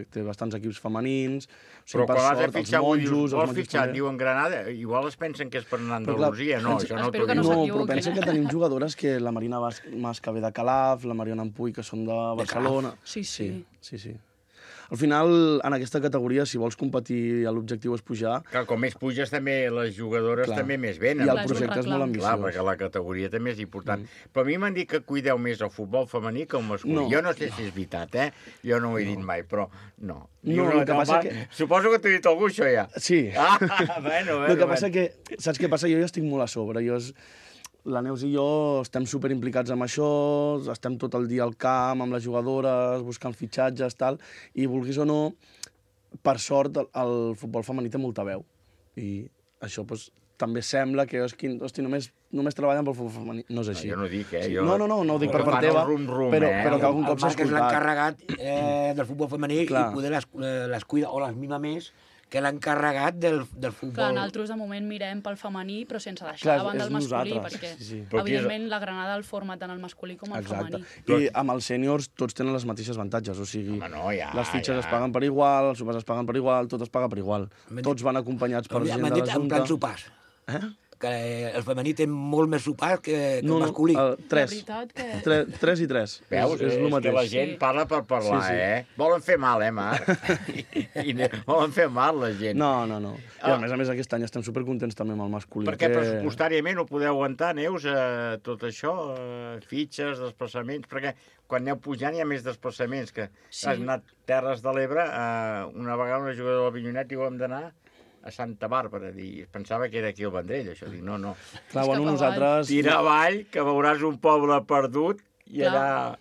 té bastants equips femenins, o sigui, Però per quan has de sort, els fitxar, vull dir, monjos... els vols monjos fitxar, també. diuen Granada, igual es pensen que és per anar a Però clar, Andalusia, no, pensa- això no espero t'ho que dic. no No, s'equivoquin, però pensa eh? que tenim jugadores que la Marina Mas, Mas que ve de Calaf, la Mariona Ampuy, que són de Barcelona... Sí, sí. Sí, sí, sí. Al final, en aquesta categoria, si vols competir, l'objectiu és pujar. Clar, com més puges, també les jugadores Clar. també més venen. I el Clar, és un projecte és reclam. molt ambiciós. Clar, perquè la categoria també és important. Mm. Però a mi m'han dit que cuideu més el futbol femení que el masculí. No. Jo no sé si és veritat, eh? Jo no ho he dit mai, però no. No, el que passa va, que- Suposo que t'ho he dit algú, això, ja. Sí. Ah, bueno, bueno. El que passa que, saps què passa? Jo ja estic molt a sobre. Jo és... La Neus i jo estem super implicats amb això, estem tot el dia al camp, amb les jugadores, buscant fitxatges, tal, i vulguis o no, per sort, el, el futbol femení té molta veu. I això, doncs, també sembla que, hosti, hosti només, només treballen pel futbol femení. No és així. No, jo no dic, eh? Jo... No, no, no, no ho dic per Fan part el teva, rum-rum, però, eh? però que algun El cop s'ha Marc és escoltat. l'encarregat eh, del futbol femení Clar. i poder les, eh, les cuida o les mima més que l'encarregat del, del futbol. Clar, nosaltres de moment mirem pel femení, però sense deixar Clar, de banda és el masculí, nosaltres, perquè, sí, sí. Però aquí és- evidentment, la Granada el forma tant el masculí com el Exacte. femení. I amb els sèniors tots tenen les mateixes avantatges, o sigui, Home, no, ja, les fitxes ja. es paguen per igual, els sopars es paguen per igual, tot es paga per igual. M'han dit- Tots van acompanyats per M'han gent dit de la en Junta. plan sopars. Eh? Que el femení té molt més sopars que, que No, el no, masculí. el tres. La veritat que... Tre, tres i tres. Veus? És, és és el que mateix. la gent Sí. parla per parlar, Sí, sí. eh? Volen fer mal, eh, Marc? I, i volen fer mal, la gent. No, no, no. I Ah. a més a més aquest any estem supercontents també amb el masculí. Perquè que... pressupostàriament ho podeu aguantar, Neus, eh, tot això, eh, fitxes, desplaçaments, perquè quan aneu pujant hi ha més desplaçaments, que Sí. has anat Terres de l'Ebre, eh, una vegada una jugadora del Vinyonet diu hem d'anar a Santa Bàrbara, i pensava que era aquí al Vendrell, això, dic, no, no. Clar, És bueno, cap avall. nosaltres... Tira avall, que veuràs un poble perdut, i Clar. allà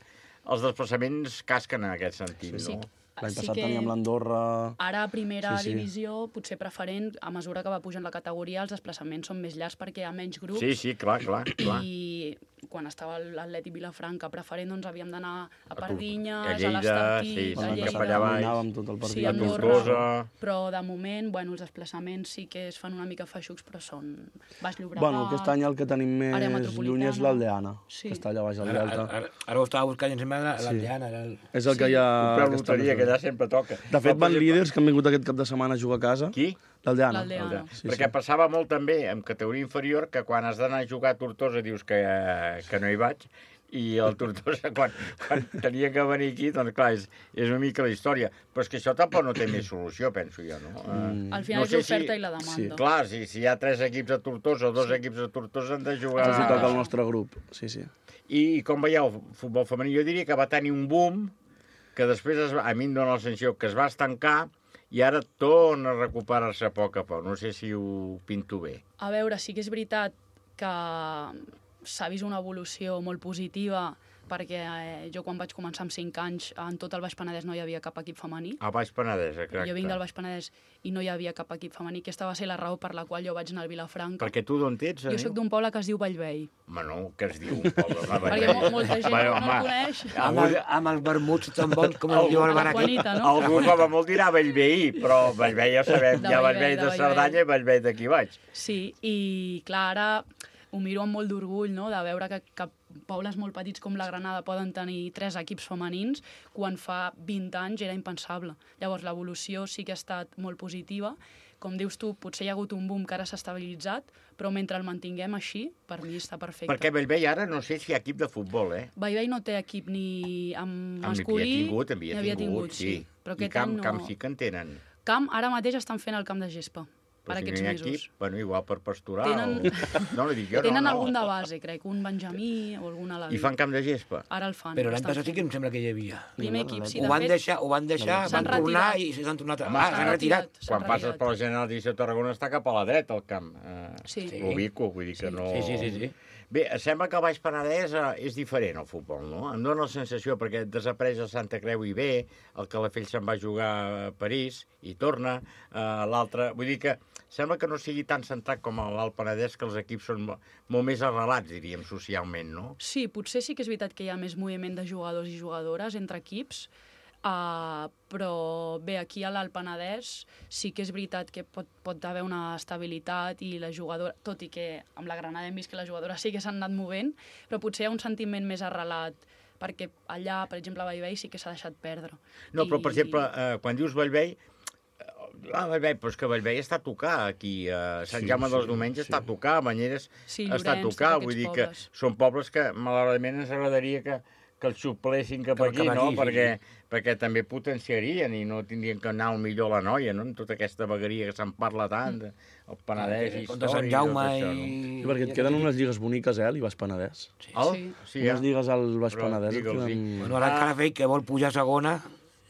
els desplaçaments casquen en aquest sentit, Sí. no? L'any Sí passat que- teníem l'Andorra... Ara, a primera Sí, sí. divisió, potser preferent, a mesura que va pujant la categoria, els desplaçaments són més llargs perquè hi ha menys grups. Sí, sí, clar, clar, clar. I quan estava l'Atlètic Vilafranca preferent, doncs havíem d'anar a Tur- Pardinyes, a a Lleida, l'Estartí, sí, a sí, Lleida. cap allà baix. Caminàvem tot el Sí, partit. a a Andorra. Tortosa... Però de moment, bueno, els desplaçaments sí que es fan una mica feixucs, però són Baix Llobregat... Bueno, aquest any el que tenim Àrea més metropolitana. lluny és l'Aldeana, Sí. que està allà baix al Ara, Delta. ara, ara, ara ho estava buscant i em sembla Sí. l'Aldeana. Era el... És el que hi ha... Comprar que està loteria, més que bé. allà sempre toca. De fet, No, van per exemple- líders que han vingut aquest cap de setmana a jugar a casa. Qui? L'Aldeana. L'Aldeana. Sí, Perquè sí. passava molt també en categoria inferior que quan has d'anar a jugar a Tortosa dius que, que no hi vaig, i el Tortosa quan, quan tenia que venir aquí, doncs clar, és, és una mica la història. Però és que això tampoc no té més solució, penso jo, no? Mm. Al final No és sé l'oferta si- i la demanda. sí. Clar, si, si hi ha tres equips a Tortosa o dos equips a Tortosa han de jugar... Els hi toca el nostre grup, sí, sí. I com veieu el futbol femení? Jo diria que va tenir un boom que després, es va, a mi em dóna la sensació que es va estancar i ara torna a recuperar-se a poc a poc. No sé si ho pinto bé. A veure, sí que és veritat que s'ha vist una evolució molt positiva perquè eh, jo quan vaig començar amb cinc anys en tot el Baix Penedès no hi havia cap equip femení. A Baix Penedès, exacte. Jo vinc del Baix Penedès i no hi havia cap equip femení. Aquesta va ser la raó per la qual jo vaig anar al Vilafranca. Perquè tu d'on ets? Jo sóc d'un poble que es diu Vallvei. Home, no, que es diu un poble. Home, Perquè mo molta gent no, no el coneix. Amb, el, amb els vermuts tan bons com el diu el bar aquí. Juanita, no? Algú com a molt dirà Bellveí, però Bellvei ja sabem, De hi ha Bellvei, Bellvei de de Bellvei. Cerdanya i Bellvei d'aquí baix. Sí, i clar, ara ho miro amb molt d'orgull, no?, de veure que, que pobles molt petits com la Granada poden tenir tres equips femenins, quan fa vint anys era impensable. Llavors, l'evolució sí que ha estat molt positiva. Com dius tu, potser hi ha hagut un boom que ara s'ha estabilitzat, però mentre el mantinguem així, per mi està perfecte. Perquè Bellvei ara no sé si hi ha equip de futbol, eh? Bellvei no té equip ni amb masculí... Havia tingut, havia, havia tingut, tingut, sí. sí. Però I camp, no... camp sí que en tenen. Camp, ara mateix estan fent el camp de gespa. Per si aquests no mesos. Equip, bueno, igual per pasturar tenen... o... No, no dic jo, tenen no, no. algun de base, crec, un benjamí o algun alaví. I fan camp de gespa? Ara el fan. Però l'any passat sí que em sembla que hi havia. Primer equip, sí, ho van de fet... Deixar, ho van deixar, van tornar i s'han tornat a... Ah, s'han retirat. Quan passes per la General de Tarragona està cap a la dreta, el camp. Uh, sí. L'ubico, vull dir que no... Sí, sí, sí, sí. Bé, sembla que el Baix Penedès és diferent, el futbol, no? Em dóna la sensació, perquè desapareix el Santa Creu i ve, el Calafell se'n va jugar a París i torna, uh, l'altre... Vull dir que sembla que no sigui tan centrat com l'Alt Penedès, que els equips són molt més arrelats, diríem, socialment, no? Sí, potser sí que és veritat que hi ha més moviment de jugadors i jugadores entre equips, uh, però bé, aquí a l'Alt Penedès sí que és veritat que pot, pot haver una estabilitat i la jugadora, tot i que amb la Granada hem vist que les jugadores sí que s'han anat movent, però potser hi ha un sentiment més arrelat, perquè allà, per exemple, a Bellvei sí que s'ha deixat perdre. No, però, I... per exemple, eh, quan dius Bellvei, Ah, Bellvei, però és que Bellvei està a tocar aquí, a Sant sí, Jaume dels sí, Domenys sí. està a tocar, a Banyeres sí, està a tocar, vull dir pobles. que són pobles que malauradament ens agradaria que, que els xuplessin cap que, aquí, que no? Aquí, perquè, sí. perquè també potenciarien i no tindrien que anar al millor la noia, no? En tota aquesta vegueria que se'n parla tant, el Penedès, històric, de Sant Jaume i... Això, no? I perquè et queden unes lligues boniques, eh, al Baix Penedès. Sí, el? sí. sí unes lligues al Baix però, Penedès. Queden... Sí. Bueno, ara el Calafell, que vol pujar a segona,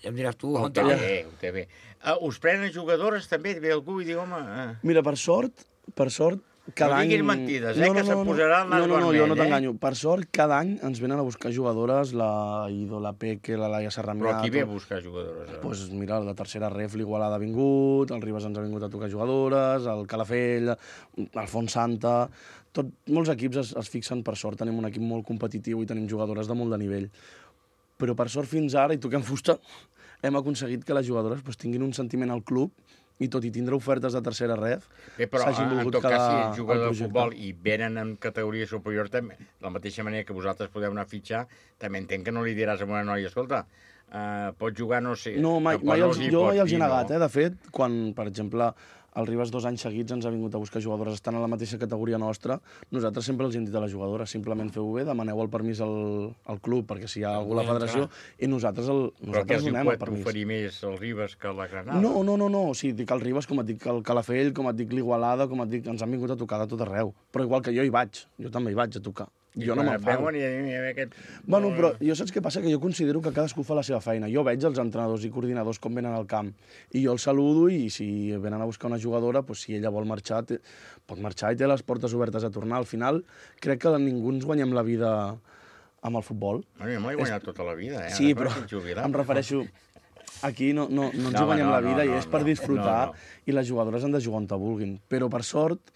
ja em diràs tu, on té bé, on té bé. Uh, us prenen jugadores també? Ve algú i diu, home... Uh... Mira, per sort, per sort, cada any... No diguis mentides, eh, no, no, que se'n posarà el nas vermell, no, no, no, jo no eh? t'enganyo. Per sort, cada any ens venen a buscar jugadores, la Ido, la Peque, la Laia Serramià... Però qui ve a buscar jugadores? Doncs pues, mira, la tercera ref, l'Igualada ha vingut, el Ribes ens ha vingut a tocar jugadores, el Calafell, el Font Santa... Tot, molts equips es, es fixen, per sort, tenim un equip molt competitiu i tenim jugadores de molt de nivell. Però per sort fins ara, i toquem fusta, hem aconseguit que les jugadores pues, tinguin un sentiment al club i tot i tindre ofertes de tercera ref, s'hagin volgut quedar al projecte. Però en tot cas, si ets jugador de futbol i venen en categoria superior, també, de la mateixa manera que vosaltres podeu anar a fitxar, també entenc que no li diràs a una noia, escolta, uh, pots jugar, no sé... No, mai, mai els, no jo mai els he dir, negat, no? eh? De fet, quan, per exemple, el Ribes dos anys seguits ens ha vingut a buscar jugadores, estan a la mateixa categoria nostra, nosaltres sempre els hem dit a les jugadores, simplement feu-ho bé, demaneu el permís al, al club, perquè si hi ha algú a la federació, i nosaltres el nosaltres donem el permís. Però què els pot oferir més el Ribes que la Granada? No, no, no, no, o sigui, dic el Ribes, com et dic el Calafell, com et dic l'Igualada, com et dic, ens han vingut a tocar de tot arreu. Però igual que jo hi vaig, jo també hi vaig a tocar. I jo no m'enfado. Aquest... Bueno, però jo saps què passa? Que jo considero que cadascú fa la seva feina. Jo veig els entrenadors i coordinadors com venen al camp i jo els saludo i si venen a buscar una jugadora, doncs si ella vol marxar, té... pot marxar i té les portes obertes a tornar. Al final, crec que ningú ens guanyem la vida amb el futbol. Bueno, jo m'ho he guanyat és... tota la vida, eh? Sí, però em refereixo... Aquí no, no, no ens no, guanyem no, la vida no, no, i és per disfrutar no, no. I les jugadores han de jugar on te vulguin. Però, per sort,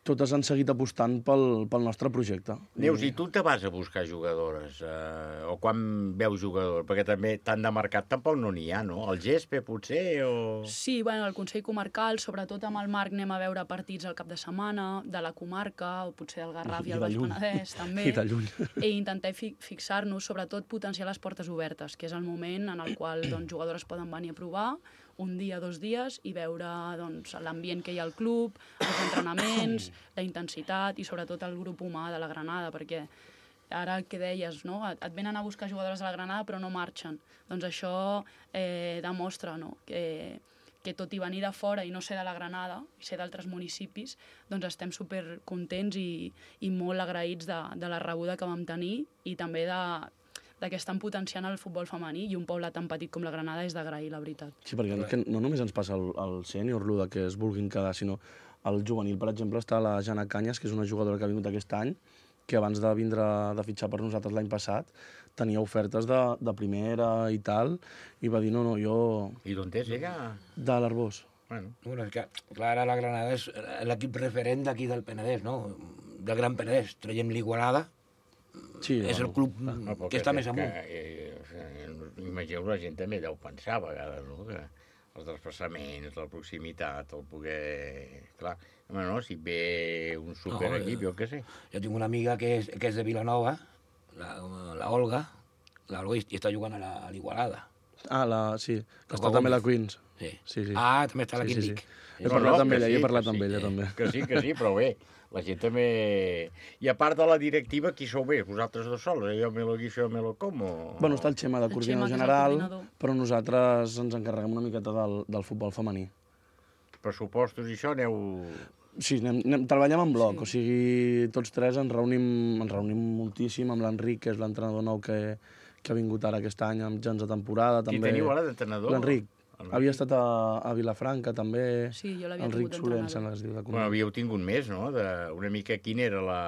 totes han seguit apostant pel, pel nostre projecte. Neus, i tu te vas a buscar jugadores? Eh, o quan veus jugadors? Perquè també tant de mercat tampoc no n'hi ha, no? El Gespe, potser, o...? Sí, bueno, el Consell Comarcal, sobretot amb el Marc, anem a veure partits al cap de setmana, de la comarca, o potser del Garraf i, i el Baix Penedès, també. I de lluny. I intentar fi fixar-nos, sobretot potenciar les portes obertes, que és el moment en el qual doncs, jugadores poden venir a provar, un dia, dos dies, i veure doncs, l'ambient que hi ha al club, els entrenaments, la intensitat i sobretot el grup humà de la Granada, perquè ara el que deies, no? et, et venen a buscar jugadores de la Granada però no marxen. Doncs això eh, demostra no? que, que tot i venir de fora i no ser de la Granada, i ser d'altres municipis, doncs estem supercontents i, i molt agraïts de, de la rebuda que vam tenir i també de de que estan potenciant el futbol femení i un poble tan petit com la Granada és d'agrair, la veritat. Sí, perquè que no només ens passa el, el sènior, el de que es vulguin quedar, sinó el juvenil, per exemple, està la Jana Canyes, que és una jugadora que ha vingut aquest any, que abans de vindre de fitxar per nosaltres l'any passat, tenia ofertes de, de primera i tal, i va dir, no, no, jo... I d'on és ella? De l'Arbós. Bueno. bueno, és que, clar, ara la Granada és l'equip referent d'aquí del Penedès, no? Del Gran Penedès. Traiem l'Igualada, sí, és bueno, el club no, que està més amunt. Que, eh, imagineu, la gent també deu pensar a vegades, no? Que els desplaçaments, la proximitat, el poder... Clar, home, no, si ve un superequip, jo què sé. Jo tinc una amiga que és, que és de Vilanova, la, la Olga, la Olga i està jugant a l'Igualada. Ah, la, sí, que està també a la Queens. Sí. Sí, sí. Ah, també està a la sí, Quindic. Sí, sí. He parlat amb ella, he parlat amb ella, també. Que sí, que sí, però bé, la gent també... I a part de la directiva, qui sou bé? Vosaltres dos sols? Jo me lo guixo, jo me lo como? Bueno, està el Xema de coordinador general, però nosaltres ens encarreguem una miqueta del, del futbol femení. Pressupostos i això, aneu... Sí, anem, anem, treballem en bloc, sí. O sigui, tots tres ens reunim, ens reunim moltíssim amb l'Enric, que és l'entrenador nou que, que ha vingut ara aquest any amb gens de temporada. Qui també... teniu ara d'entrenador? L'Enric. Havia estat a, a Vilafranca, també. Sí, jo l'havia Enric tingut Soler, d'entrenador. es diu de Bueno, havíeu tingut més, no? De, una mica quina era la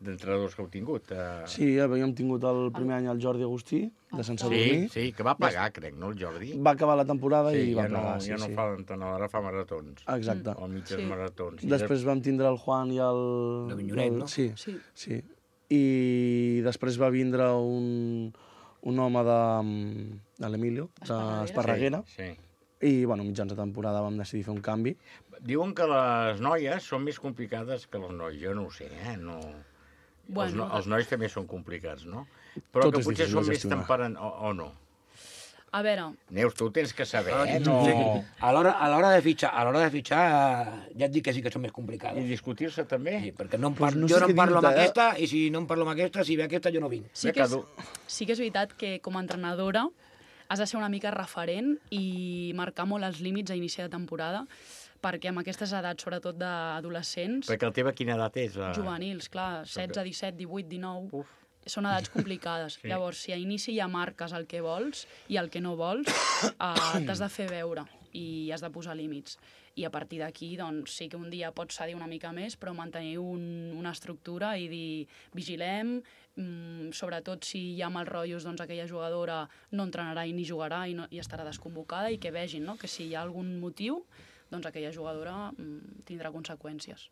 d'entrenadors que heu tingut? Uh... Sí, havíem tingut el primer any el Jordi Agustí, de Sant Sadurní. Sí, sí, que va pagar, crec, no, el Jordi? Va acabar la temporada sí, i va ja plegar, no, sí, ja no sí. fa l'entrenador, ara fa maratons. Exacte. O mitges sí. maratons. Després vam tindre el Juan i el... L'Avinyonet, no? Sí, sí, sí. I després va vindre un, un home de, de l'Emilio, d'Esparreguera. Sí, sí. I, bueno, mitjans de temporada vam decidir fer un canvi. Diuen que les noies són més complicades que els nois. Jo no ho sé, eh? No... Bueno, els, no, els nois també són complicats, no? Però Tot que és potser difícil són de més gestionar. temperant, o, o no? A veure... Neus, tu ho tens que saber, Ah, eh? No... sí. A l'hora a l'hora de fitxar, a l'hora de fitxar, eh, ja et dic que sí que són més complicades. I discutir-se també? Sí, perquè no em Pues parlo, no sé jo no què em parlo amb dir-te, eh? aquesta, i si no em parlo amb aquesta, si ve aquesta, jo no vinc. Sí que, és, sí que és veritat que com a entrenadora has de ser una mica referent i marcar molt els límits a inici de temporada, perquè amb aquestes edats, sobretot d'adolescents... Perquè el teva quina edat és? La... Juvenils, clar, setze, disset, divuit, dinou... Uf. Són edats complicades. Sí. Llavors, si a inici ja marques el que vols i el que no vols, eh, t'has de fer veure i has de posar límits. I a partir d'aquí, doncs, sí que un dia pots cedir una mica més, però mantenir un, una estructura i dir, vigilem, mm, sobretot si hi ha mals rotllos, doncs aquella jugadora no entrenarà i ni jugarà i, no, i estarà desconvocada, i que vegin, no?, que si hi ha algun motiu, doncs aquella jugadora mm, tindrà conseqüències.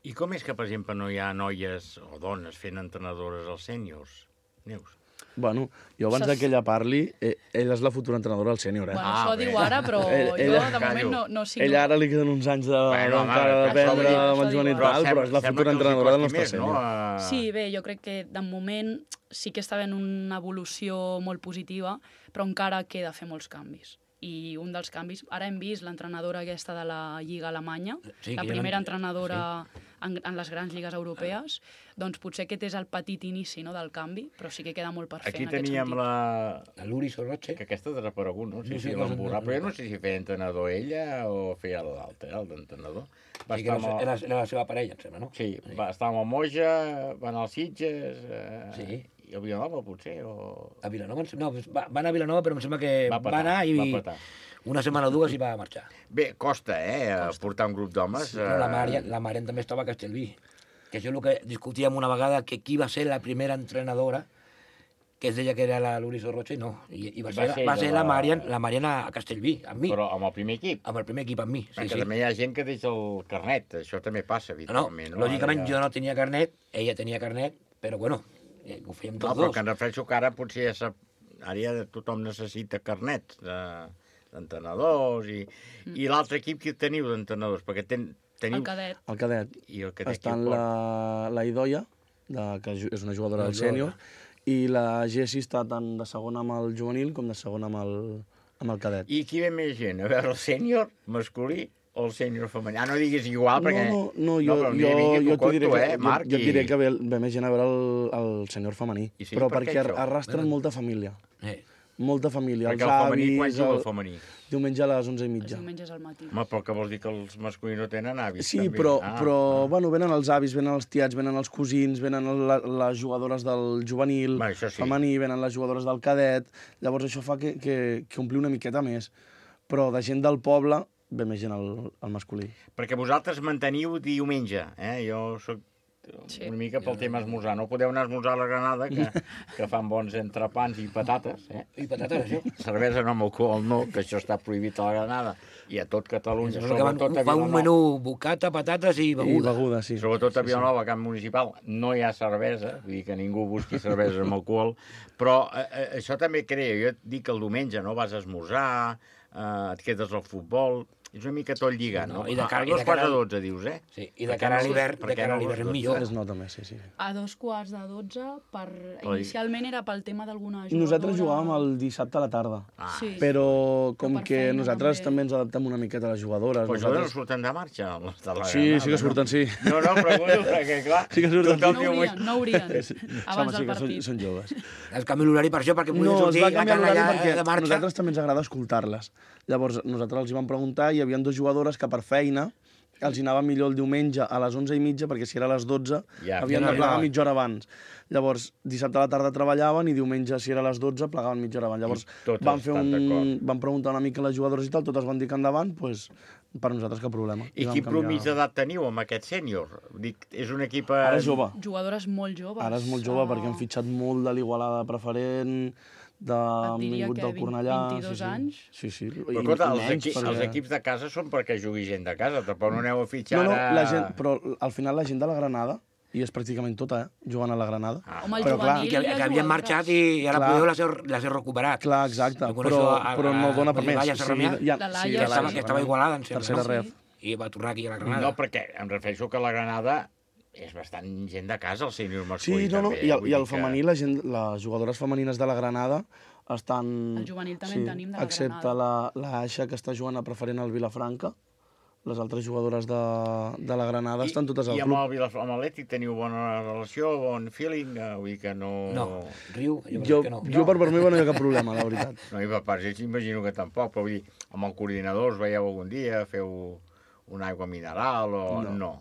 I com és que, per exemple, no hi ha noies o dones fent entrenadores als sèniors? Neus? Bueno, jo abans Saps- que ella parli, eh, ella és la futura entrenadora del sènior, eh? Bueno, això ho diu ara, però jo de moment no, no signo. Ella ara li queden uns anys de, Bueno, home, encara això d'aprendre ho diu- amb això el diu Joan i ara. tal, Però però és la sembla futura que els hi entrenadora del costi nostre més, no? sènior. A- Sí, bé, jo crec que de moment sí que està havent una evolució molt positiva, però encara queda fer molts canvis. I un dels canvis, ara hem vist l'entrenadora aquesta de la Lliga Alemanya, Sí, la que ja primera l'han- entrenadora en, en les grans lligues europees, doncs potser aquest és el petit inici, no?, del canvi, però sí que queda molt per fer Aquí en aquest teníem sentit. la... La Luri Sorroche. Que aquesta ha desaparegut, no? Sí, No sé, sí, no sé, l'emborrar, no- però jo no sé si feia entrenador ella o feia l'altre, el d'entrenador. Va Sí, que estar era, amb el- era, era la seva parella, em sembla, no? Sí, va estar amb el Moja, va anar als Sitges... Eh, Sí. I a Vilanova, potser, o... A Vilanova, em sem- no, va, va anar a Vilanova, però em sembla que Va va, petar, anar i va petar. una setmana o dues i va marxar. Bé, costa, eh, costa. portar un grup d'homes. Sí, però la Marian, la Marian també estava a Castellví. Que això és el que discutíem una vegada, que qui va ser la primera entrenadora, que es deia que era la Luri Sorroche, i no. I, i va, Va ser, ser va ser la- la Marian, la Marian a Castellví, amb mi. Però amb el primer equip. Amb el primer equip, amb mi. Sí, Perquè sí. també hi ha gent que deixa el carnet, això també passa No, habitualment. lògicament Ara jo no tenia carnet, ella tenia carnet, però bueno, eh, ho fèiem No, tots però dos. que em refereixo que ara potser ja sap... Ara ja tothom necessita carnets de... d'entrenadors i... Mm. I l'altre equip que teniu d'entrenadors? Perquè ten... teniu... El cadet. El cadet. I el cadet Està qui en ho la, la Idoia, de, que ju- és una jugadora La del jugadora. sènior, i la Jessi està tant de segona amb el juvenil com de segona amb el, amb el cadet. I qui ve més gent? A veure, el sènior masculí o el sènior femení? Ah, no diguis igual, perquè... No, no, jo, però no, mira, jo, vingui, jo, t'ho t'ho diré conto, que, eh, Marc, jo, jo et i- diré que ve, ve més gent a veure el, el sènior femení, I sí, però per què perquè això? arrastren molta família. Eh. Molta família. Perquè els el femení, avis, quan juga el el- femení? Diumenge a les onze i Els mitja. diumenges al matí. Home, però què vols dir que els masculins no tenen avis? Sí, també? però, Ah, però ah. bueno, venen els avis, venen els tiets, venen els cosins, venen la, les jugadores del juvenil, Va, això sí. femení, venen les jugadores del cadet. Llavors això fa que, que, que ompli una miqueta més. Però de gent del poble ve més gent al, al masculí. Perquè vosaltres manteniu diumenge, eh? Jo soc una mica pel tema esmorzar. No podeu anar a esmorzar a la Granada, que, que fan bons entrepans i patates. Eh? I patates, això. Cervesa no amb alcohol, no, que això està prohibit a la Granada. I a tot Catalunya, sobretot a Fa un Vilanova. menú bocata, patates i beguda. I beguda, sí. Sobretot a Vilanova, camp municipal, no hi ha cervesa, vull dir que ningú busqui cervesa amb alcohol, però eh, eh, això també crea, jo et dic que el diumenge no vas a esmorzar, eh, et quedes al futbol, és una mica tot lligat, no? No, i de cara- a dos i de quarts cara- de dotze, dius, eh? Sí, i de cara a l'hivern- de cara a l'hivern millor. Es nota més, sí, sí. A dos quarts de dotze, per... Oi. inicialment era pel tema d'alguna jugadora... Nosaltres jugàvem el dissabte a la tarda, Ah. Sí. però com per que feina, nosaltres també. també ens adaptem una miqueta a les jugadores. Però això no surten de marxa, les de la Sí, Granada, sí que surten, no? sí. No, no, pregunto, perquè clar... Sí que surten. tothom No diu, haurien, no haurien, Sí. abans Home, sí del que són, partit. són joves. Es canvia l'horari per això, perquè No, puguin es sortir va la canviar l'horari canalla perquè de marxa. nosaltres també ens agrada escoltar-les. Llavors, nosaltres els hi vam preguntar i hi havia dues jugadores que per feina els hi anava millor el diumenge a les onze i mitja, perquè si era a les dotze Ja, havien ja de plegar arribava. mitja hora abans. Llavors, dissabte a la tarda treballaven i diumenge, si era a les dotze, plegaven mitja hora abans. Llavors, totes van, fer estan un... d'acord. van preguntar una mica a les jugadores i tal, totes van dir que endavant, doncs, per nosaltres cap problema. I vam quin canviar- promís d'edat teniu amb aquest sènior? Dic, és un equip... eh, Ara és jove. Jugadores molt joves. Ara és molt jove perquè han fitxat molt de l'Igualada preferent, de... han diria vingut que del Cornellà... vint-i-dos sí, sí. anys. Sí, sí. Però, I- escolta, i els, menys, equi perquè- els equips de casa són perquè jugui gent de casa, tampoc no aneu a fitxar No, no, ara... la gent, però al final la gent de la Granada, i és pràcticament tota, eh, jugant a la Granada. Ah, Home, el però, clar, I que, que havien marxat i ara Clar. podeu les heu, les heu recuperat. Clar, exacte, Jo però, coneixo a- però no a- dona a per més. Laia Sarramià, ja, La sí, Laia, que, estava, Laia que estava igualada, em sembla. Tercera no? ref. I va tornar aquí a la Granada. No, perquè em refereixo que la Granada és bastant gent de casa, el sènior masculí. Sí, no, no, també, i el, vull i el dir que- femení, la gent, les jugadores femenines de la Granada estan... El juvenil també en tenim de la excepte la, la Aixa, que està jugant a preferent al Vilafranca. Les altres jugadores de, de la Granada estan totes al I amb club. el Vilaf- amb l'Atlètic teniu bona relació, bon feeling? eh, Vull dir que no... No, riu, jo, Jo, que no. jo per part meva no hi ha cap problema, la veritat. No, i per part, jo imagino que tampoc, però vull dir, amb el coordinador us veieu algun dia, feu una aigua mineral o... No. No.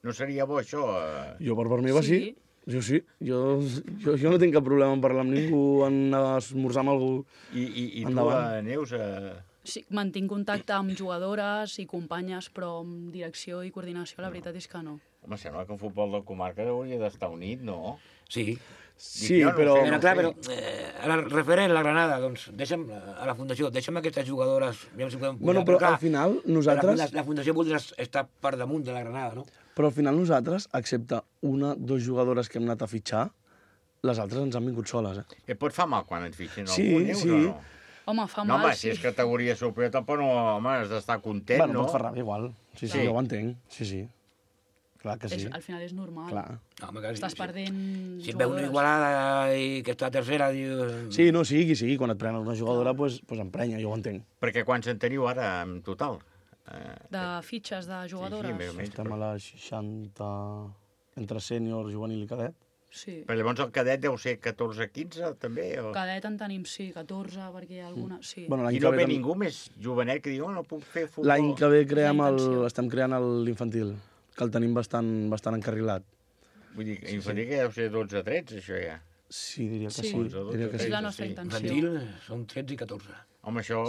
No seria bo, això? eh? Jo per part meva sí. sí. Jo sí. Jo, jo, jo no tinc cap problema en parlar amb ningú, en esmorzar amb algú. I, i, i tu, Endavant. eh, Neus... Eh... Sí, mantinc contacte amb jugadores i companyes, però amb direcció i coordinació la veritat és que no. Home, sembla que el futbol de comarca hauria d'estar unit, no? Sí. Sí, jo no ho però... sé, Però no clar, sé. però eh, ara, referent a la Granada, doncs deixa'm, a la Fundació, deixa'm aquestes jugadores, aviam si podem pujar, Bueno, però clar, al final nosaltres... La, la Fundació voldrà estar per damunt de la Granada, no? Però al final nosaltres, excepte una, dos jugadores que hem anat a fitxar, les altres ens han vingut soles, eh? Et pot fa mal quan et fitxin Sí, algú, Neus, sí. o no? Home, fa No, mal, home, sí. si és categoria superior, tampoc no, home, has d'estar content, Bueno, no? pot fer ràbia igual. Sí, sí, Sí. jo ho entenc. Sí, sí. Clar que sí. És, al final és normal. Clar. No, home, que Estàs sí. perdent Si et veu una jugadores. Igualada i que està tercera, dius... Sí, no, sí, qui sigui. Quan et prenen una jugadora, doncs pues, pues emprenya, jo ho entenc. Perquè quants en teniu ara, en total? Eh, De fitxes de jugadores. més o menys, Estem a les seixanta... entre sènior, juvenil i cadet. Sí. Però llavors el cadet deu ser catorze quinze, també? O... Cadet en tenim, sí, catorze, perquè hi ha alguna... Sí. Bueno, l'any I que no ve ve tam- ningú més jovenet que digui, oh, no puc fer futbol. L'any que ve creem La el, intenció. estem creant el- l'infantil, que el tenim bastant, bastant encarrilat. Vull dir, infantil que deu ser dotze tretze, això ja. Sí, diria que Sí. sí. Diria que És sí. la nostra sí. intenció. Infantil són tretze i catorze. Home, això...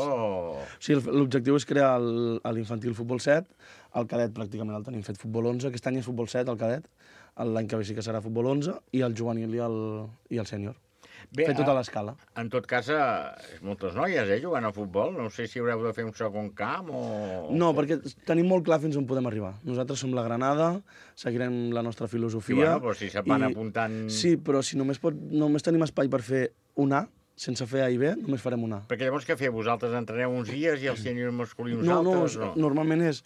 Sí, el- l'objectiu és crear el- l'infantil futbol set, el cadet pràcticament el tenim fet futbol onze, aquest any és futbol set, el cadet, l'any que ve sí que serà futbol onze, i el juvenil i el, i el sènior. Bé, Fer tota a- l'escala. En tot cas, eh, moltes noies, eh, jugant a futbol. No sé si haureu de fer un segon camp o... No, perquè tenim molt clar fins on podem arribar. Nosaltres som la Granada, seguirem la nostra filosofia... Sí, bueno, però si se'n van apuntant- Sí, però si només, pot, només tenim espai per fer un A, sense fer A i B, només farem un A. Perquè llavors què feu? Vosaltres entreneu uns dies i el sènior masculí uns No, no, altres? no, normalment és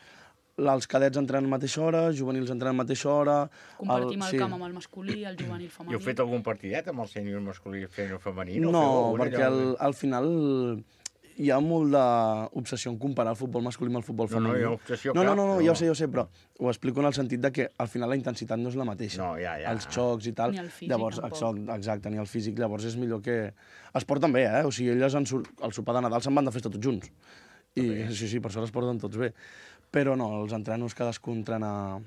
els cadets entrenen a mateixa hora, juvenils entrenen a mateixa hora... Compartim el, sí. camp amb el masculí, el juvenil femení. I heu fet algun partidet amb el sènior masculí i el sènior femení? No, No, feu algun, perquè allò? al, al final hi ha molt d'obsessió en comparar el futbol masculí amb el futbol No, no, femení. hi ha obsessió no, no, cap, no, no, no. ja ho sé, ja ho sé, però ho explico en el sentit de que al final la intensitat no és la mateixa. No, ja, ja. Els xocs i tal. Ni el físic, llavors, tampoc. exacte, exacte, ni el físic. Llavors és millor que... Es porten bé, eh? O sigui, elles en sur... al sopar de Nadal se'n van de festa tots junts. I sí, sí, per això es porten tots bé. Però no, els entrenos cadascú entrena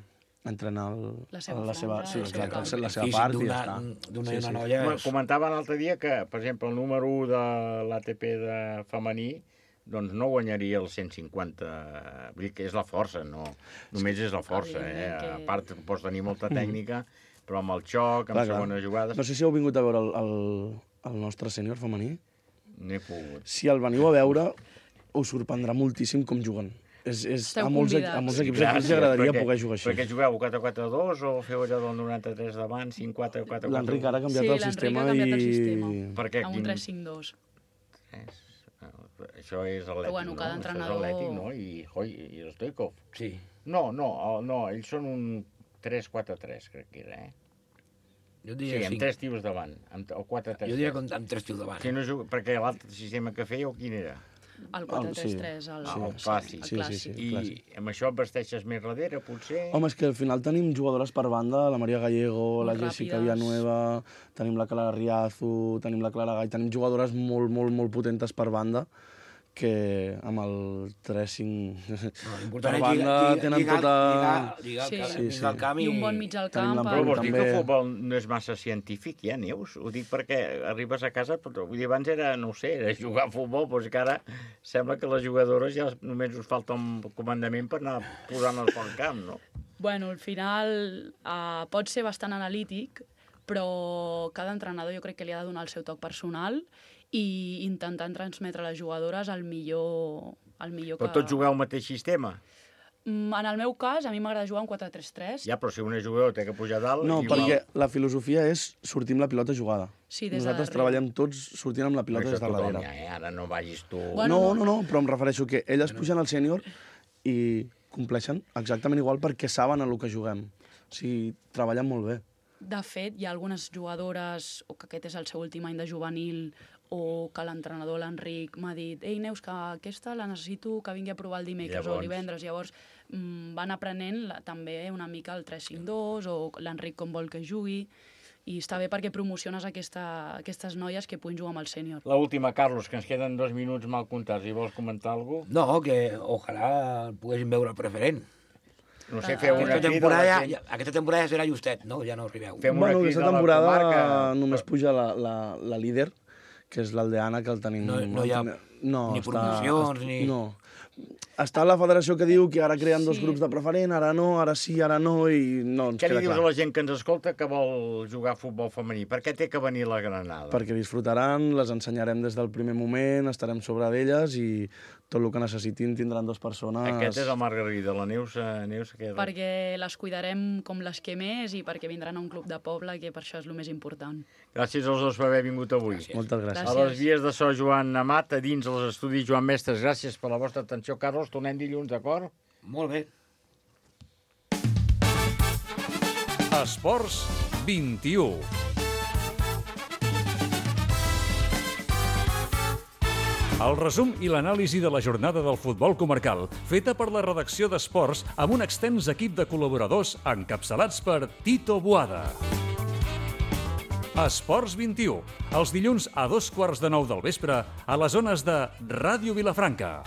entrena el, La seva la seva, franja, sí, el seu exacte, camp. la seva Físic part i d'una- ja està. d'una i una noia Home, és- Comentava l'altre dia que, per exemple, el número u de l'A T P de femení doncs no guanyaria els cent cinquanta. Vull dir que és la força, no? Només és la força, eh? A part, pots tenir molta tècnica, però amb el xoc, amb segones jugades... No sé si heu vingut a veure el, el, el nostre sènior femení. N'he pogut. Si el veniu a veure, us sorprendrà moltíssim com juguen. És, és, a, molts, a molts equips aquí els agradaria poder jugar així. Perquè jugueu quatre quatre dos o feu allò del noranta-tres davant, cinc quatre quatre quatre? L'Enric ara ha canviat el sistema i... Sí, l'Enric ha canviat el sistema, perquè, amb un tres cinc dos. Això és atlètic, però, bueno, cada no? entrenador... Això és atlètic, no? I, oi, i el Stoikov. Sí. No, no, no, ells són un tres quatre tres, crec que era, eh? Jo diria sí, amb cinc. tres tios davant, amb, o quatre tres. Jo diria que amb tres tios davant. Si no juga, perquè l'altre sistema que feia, o quin era? El quatre tres tres, el, sí. el clàssic. Sí, sí, sí, I clàssic. amb això et vesteixes més darrere, potser? Home, és que al final tenim jugadores per banda, la Maria Gallego, molt la Jessica ràpides. Villanueva, tenim la Clara Riazu, tenim la Clara Gall, tenim jugadores molt, molt, molt potentes per banda, que amb el tres cinc... No, per banda tenen lligar, tota... Lligar, lligar, sí. sí, sí. El camp i... I un bon mig al camp. Però vols dir que el futbol no és massa científic, ja, Neus? Ho dic perquè arribes a casa, però vull dir, abans era, no ho sé, era jugar a futbol, però és que ara sembla que les jugadores ja només us falta un comandament per anar posant-les pel camp, no? Bueno, al final uh, pot ser bastant analític, però cada entrenador jo crec que li ha de donar el seu toc personal i intentant transmetre a les jugadores el millor, el millor que... Però tots jugueu al mateix sistema? En el meu cas, a mi m'agrada jugar un quatre tres tres. Ja, però si una jugadora té que pujar dalt... No, i... perquè la filosofia és sortir amb la pilota jugada. Sí, des Nosaltres de treballem tots sortint amb la pilota des de darrere. Ja, eh? Ara no vagis tu... Bueno, no, no, no, però em refereixo que elles pugen al sènior i compleixen exactament igual perquè saben el que juguem. O sigui, treballen molt bé. De fet, hi ha algunes jugadores, o que aquest és el seu últim any de juvenil, o que l'entrenador, l'Enric, m'ha dit «Ei, Neus, que aquesta la necessito que vingui a provar el dimecres Llavors... o el divendres». Llavors mmm, van aprenent la, també una mica el tres cinc dos o l'Enric com vol que jugui. I està bé perquè promociones aquesta, aquestes noies que puguin jugar amb el sènior. L'última, Carlos, que ens queden dos minuts mal comptats. I vols comentar alguna cosa? No, que ojalà poguéssim veure el preferent. No sé, feu una aquesta temporada, ja, aquesta temporada ja serà justet, no? Ja no arribeu. Fem una bueno, aquesta temporada comarca... només puja la, la, la líder, que és l'Aldeana, que el tenim... No, no hi ha no, ni està, promocions, està, ni... No. Està la federació que diu que ara creen sí. dos grups de preferent, ara no, ara sí, ara no, i no ens Què queda li dius clar. a la gent que ens escolta que vol jugar a futbol femení? Per què té que venir la Granada? Perquè disfrutaran, les ensenyarem des del primer moment, estarem sobre d'elles i tot el que necessitin tindran dues persones... Aquest és el Margarida, la Neus... Neus que... Perquè les cuidarem com les que més i perquè vindran a un club de poble, que per això és el més important. Gràcies als dos per haver vingut avui. Gràcies. Moltes gràcies. A les vies de so, Joan Amat, a dins els estudis Joan Mestres. Gràcies per la vostra atenció, Carlos. Tornem dilluns, d'acord? Molt bé. Esports vint-i-u. El resum i l'anàlisi de la jornada del futbol comarcal, feta per la redacció d'Esports amb un extens equip de col·laboradors encapçalats per Tito Boada. Esports vint-i-u, els dilluns a dos quarts de nou del vespre a les zones de Ràdio Vilafranca.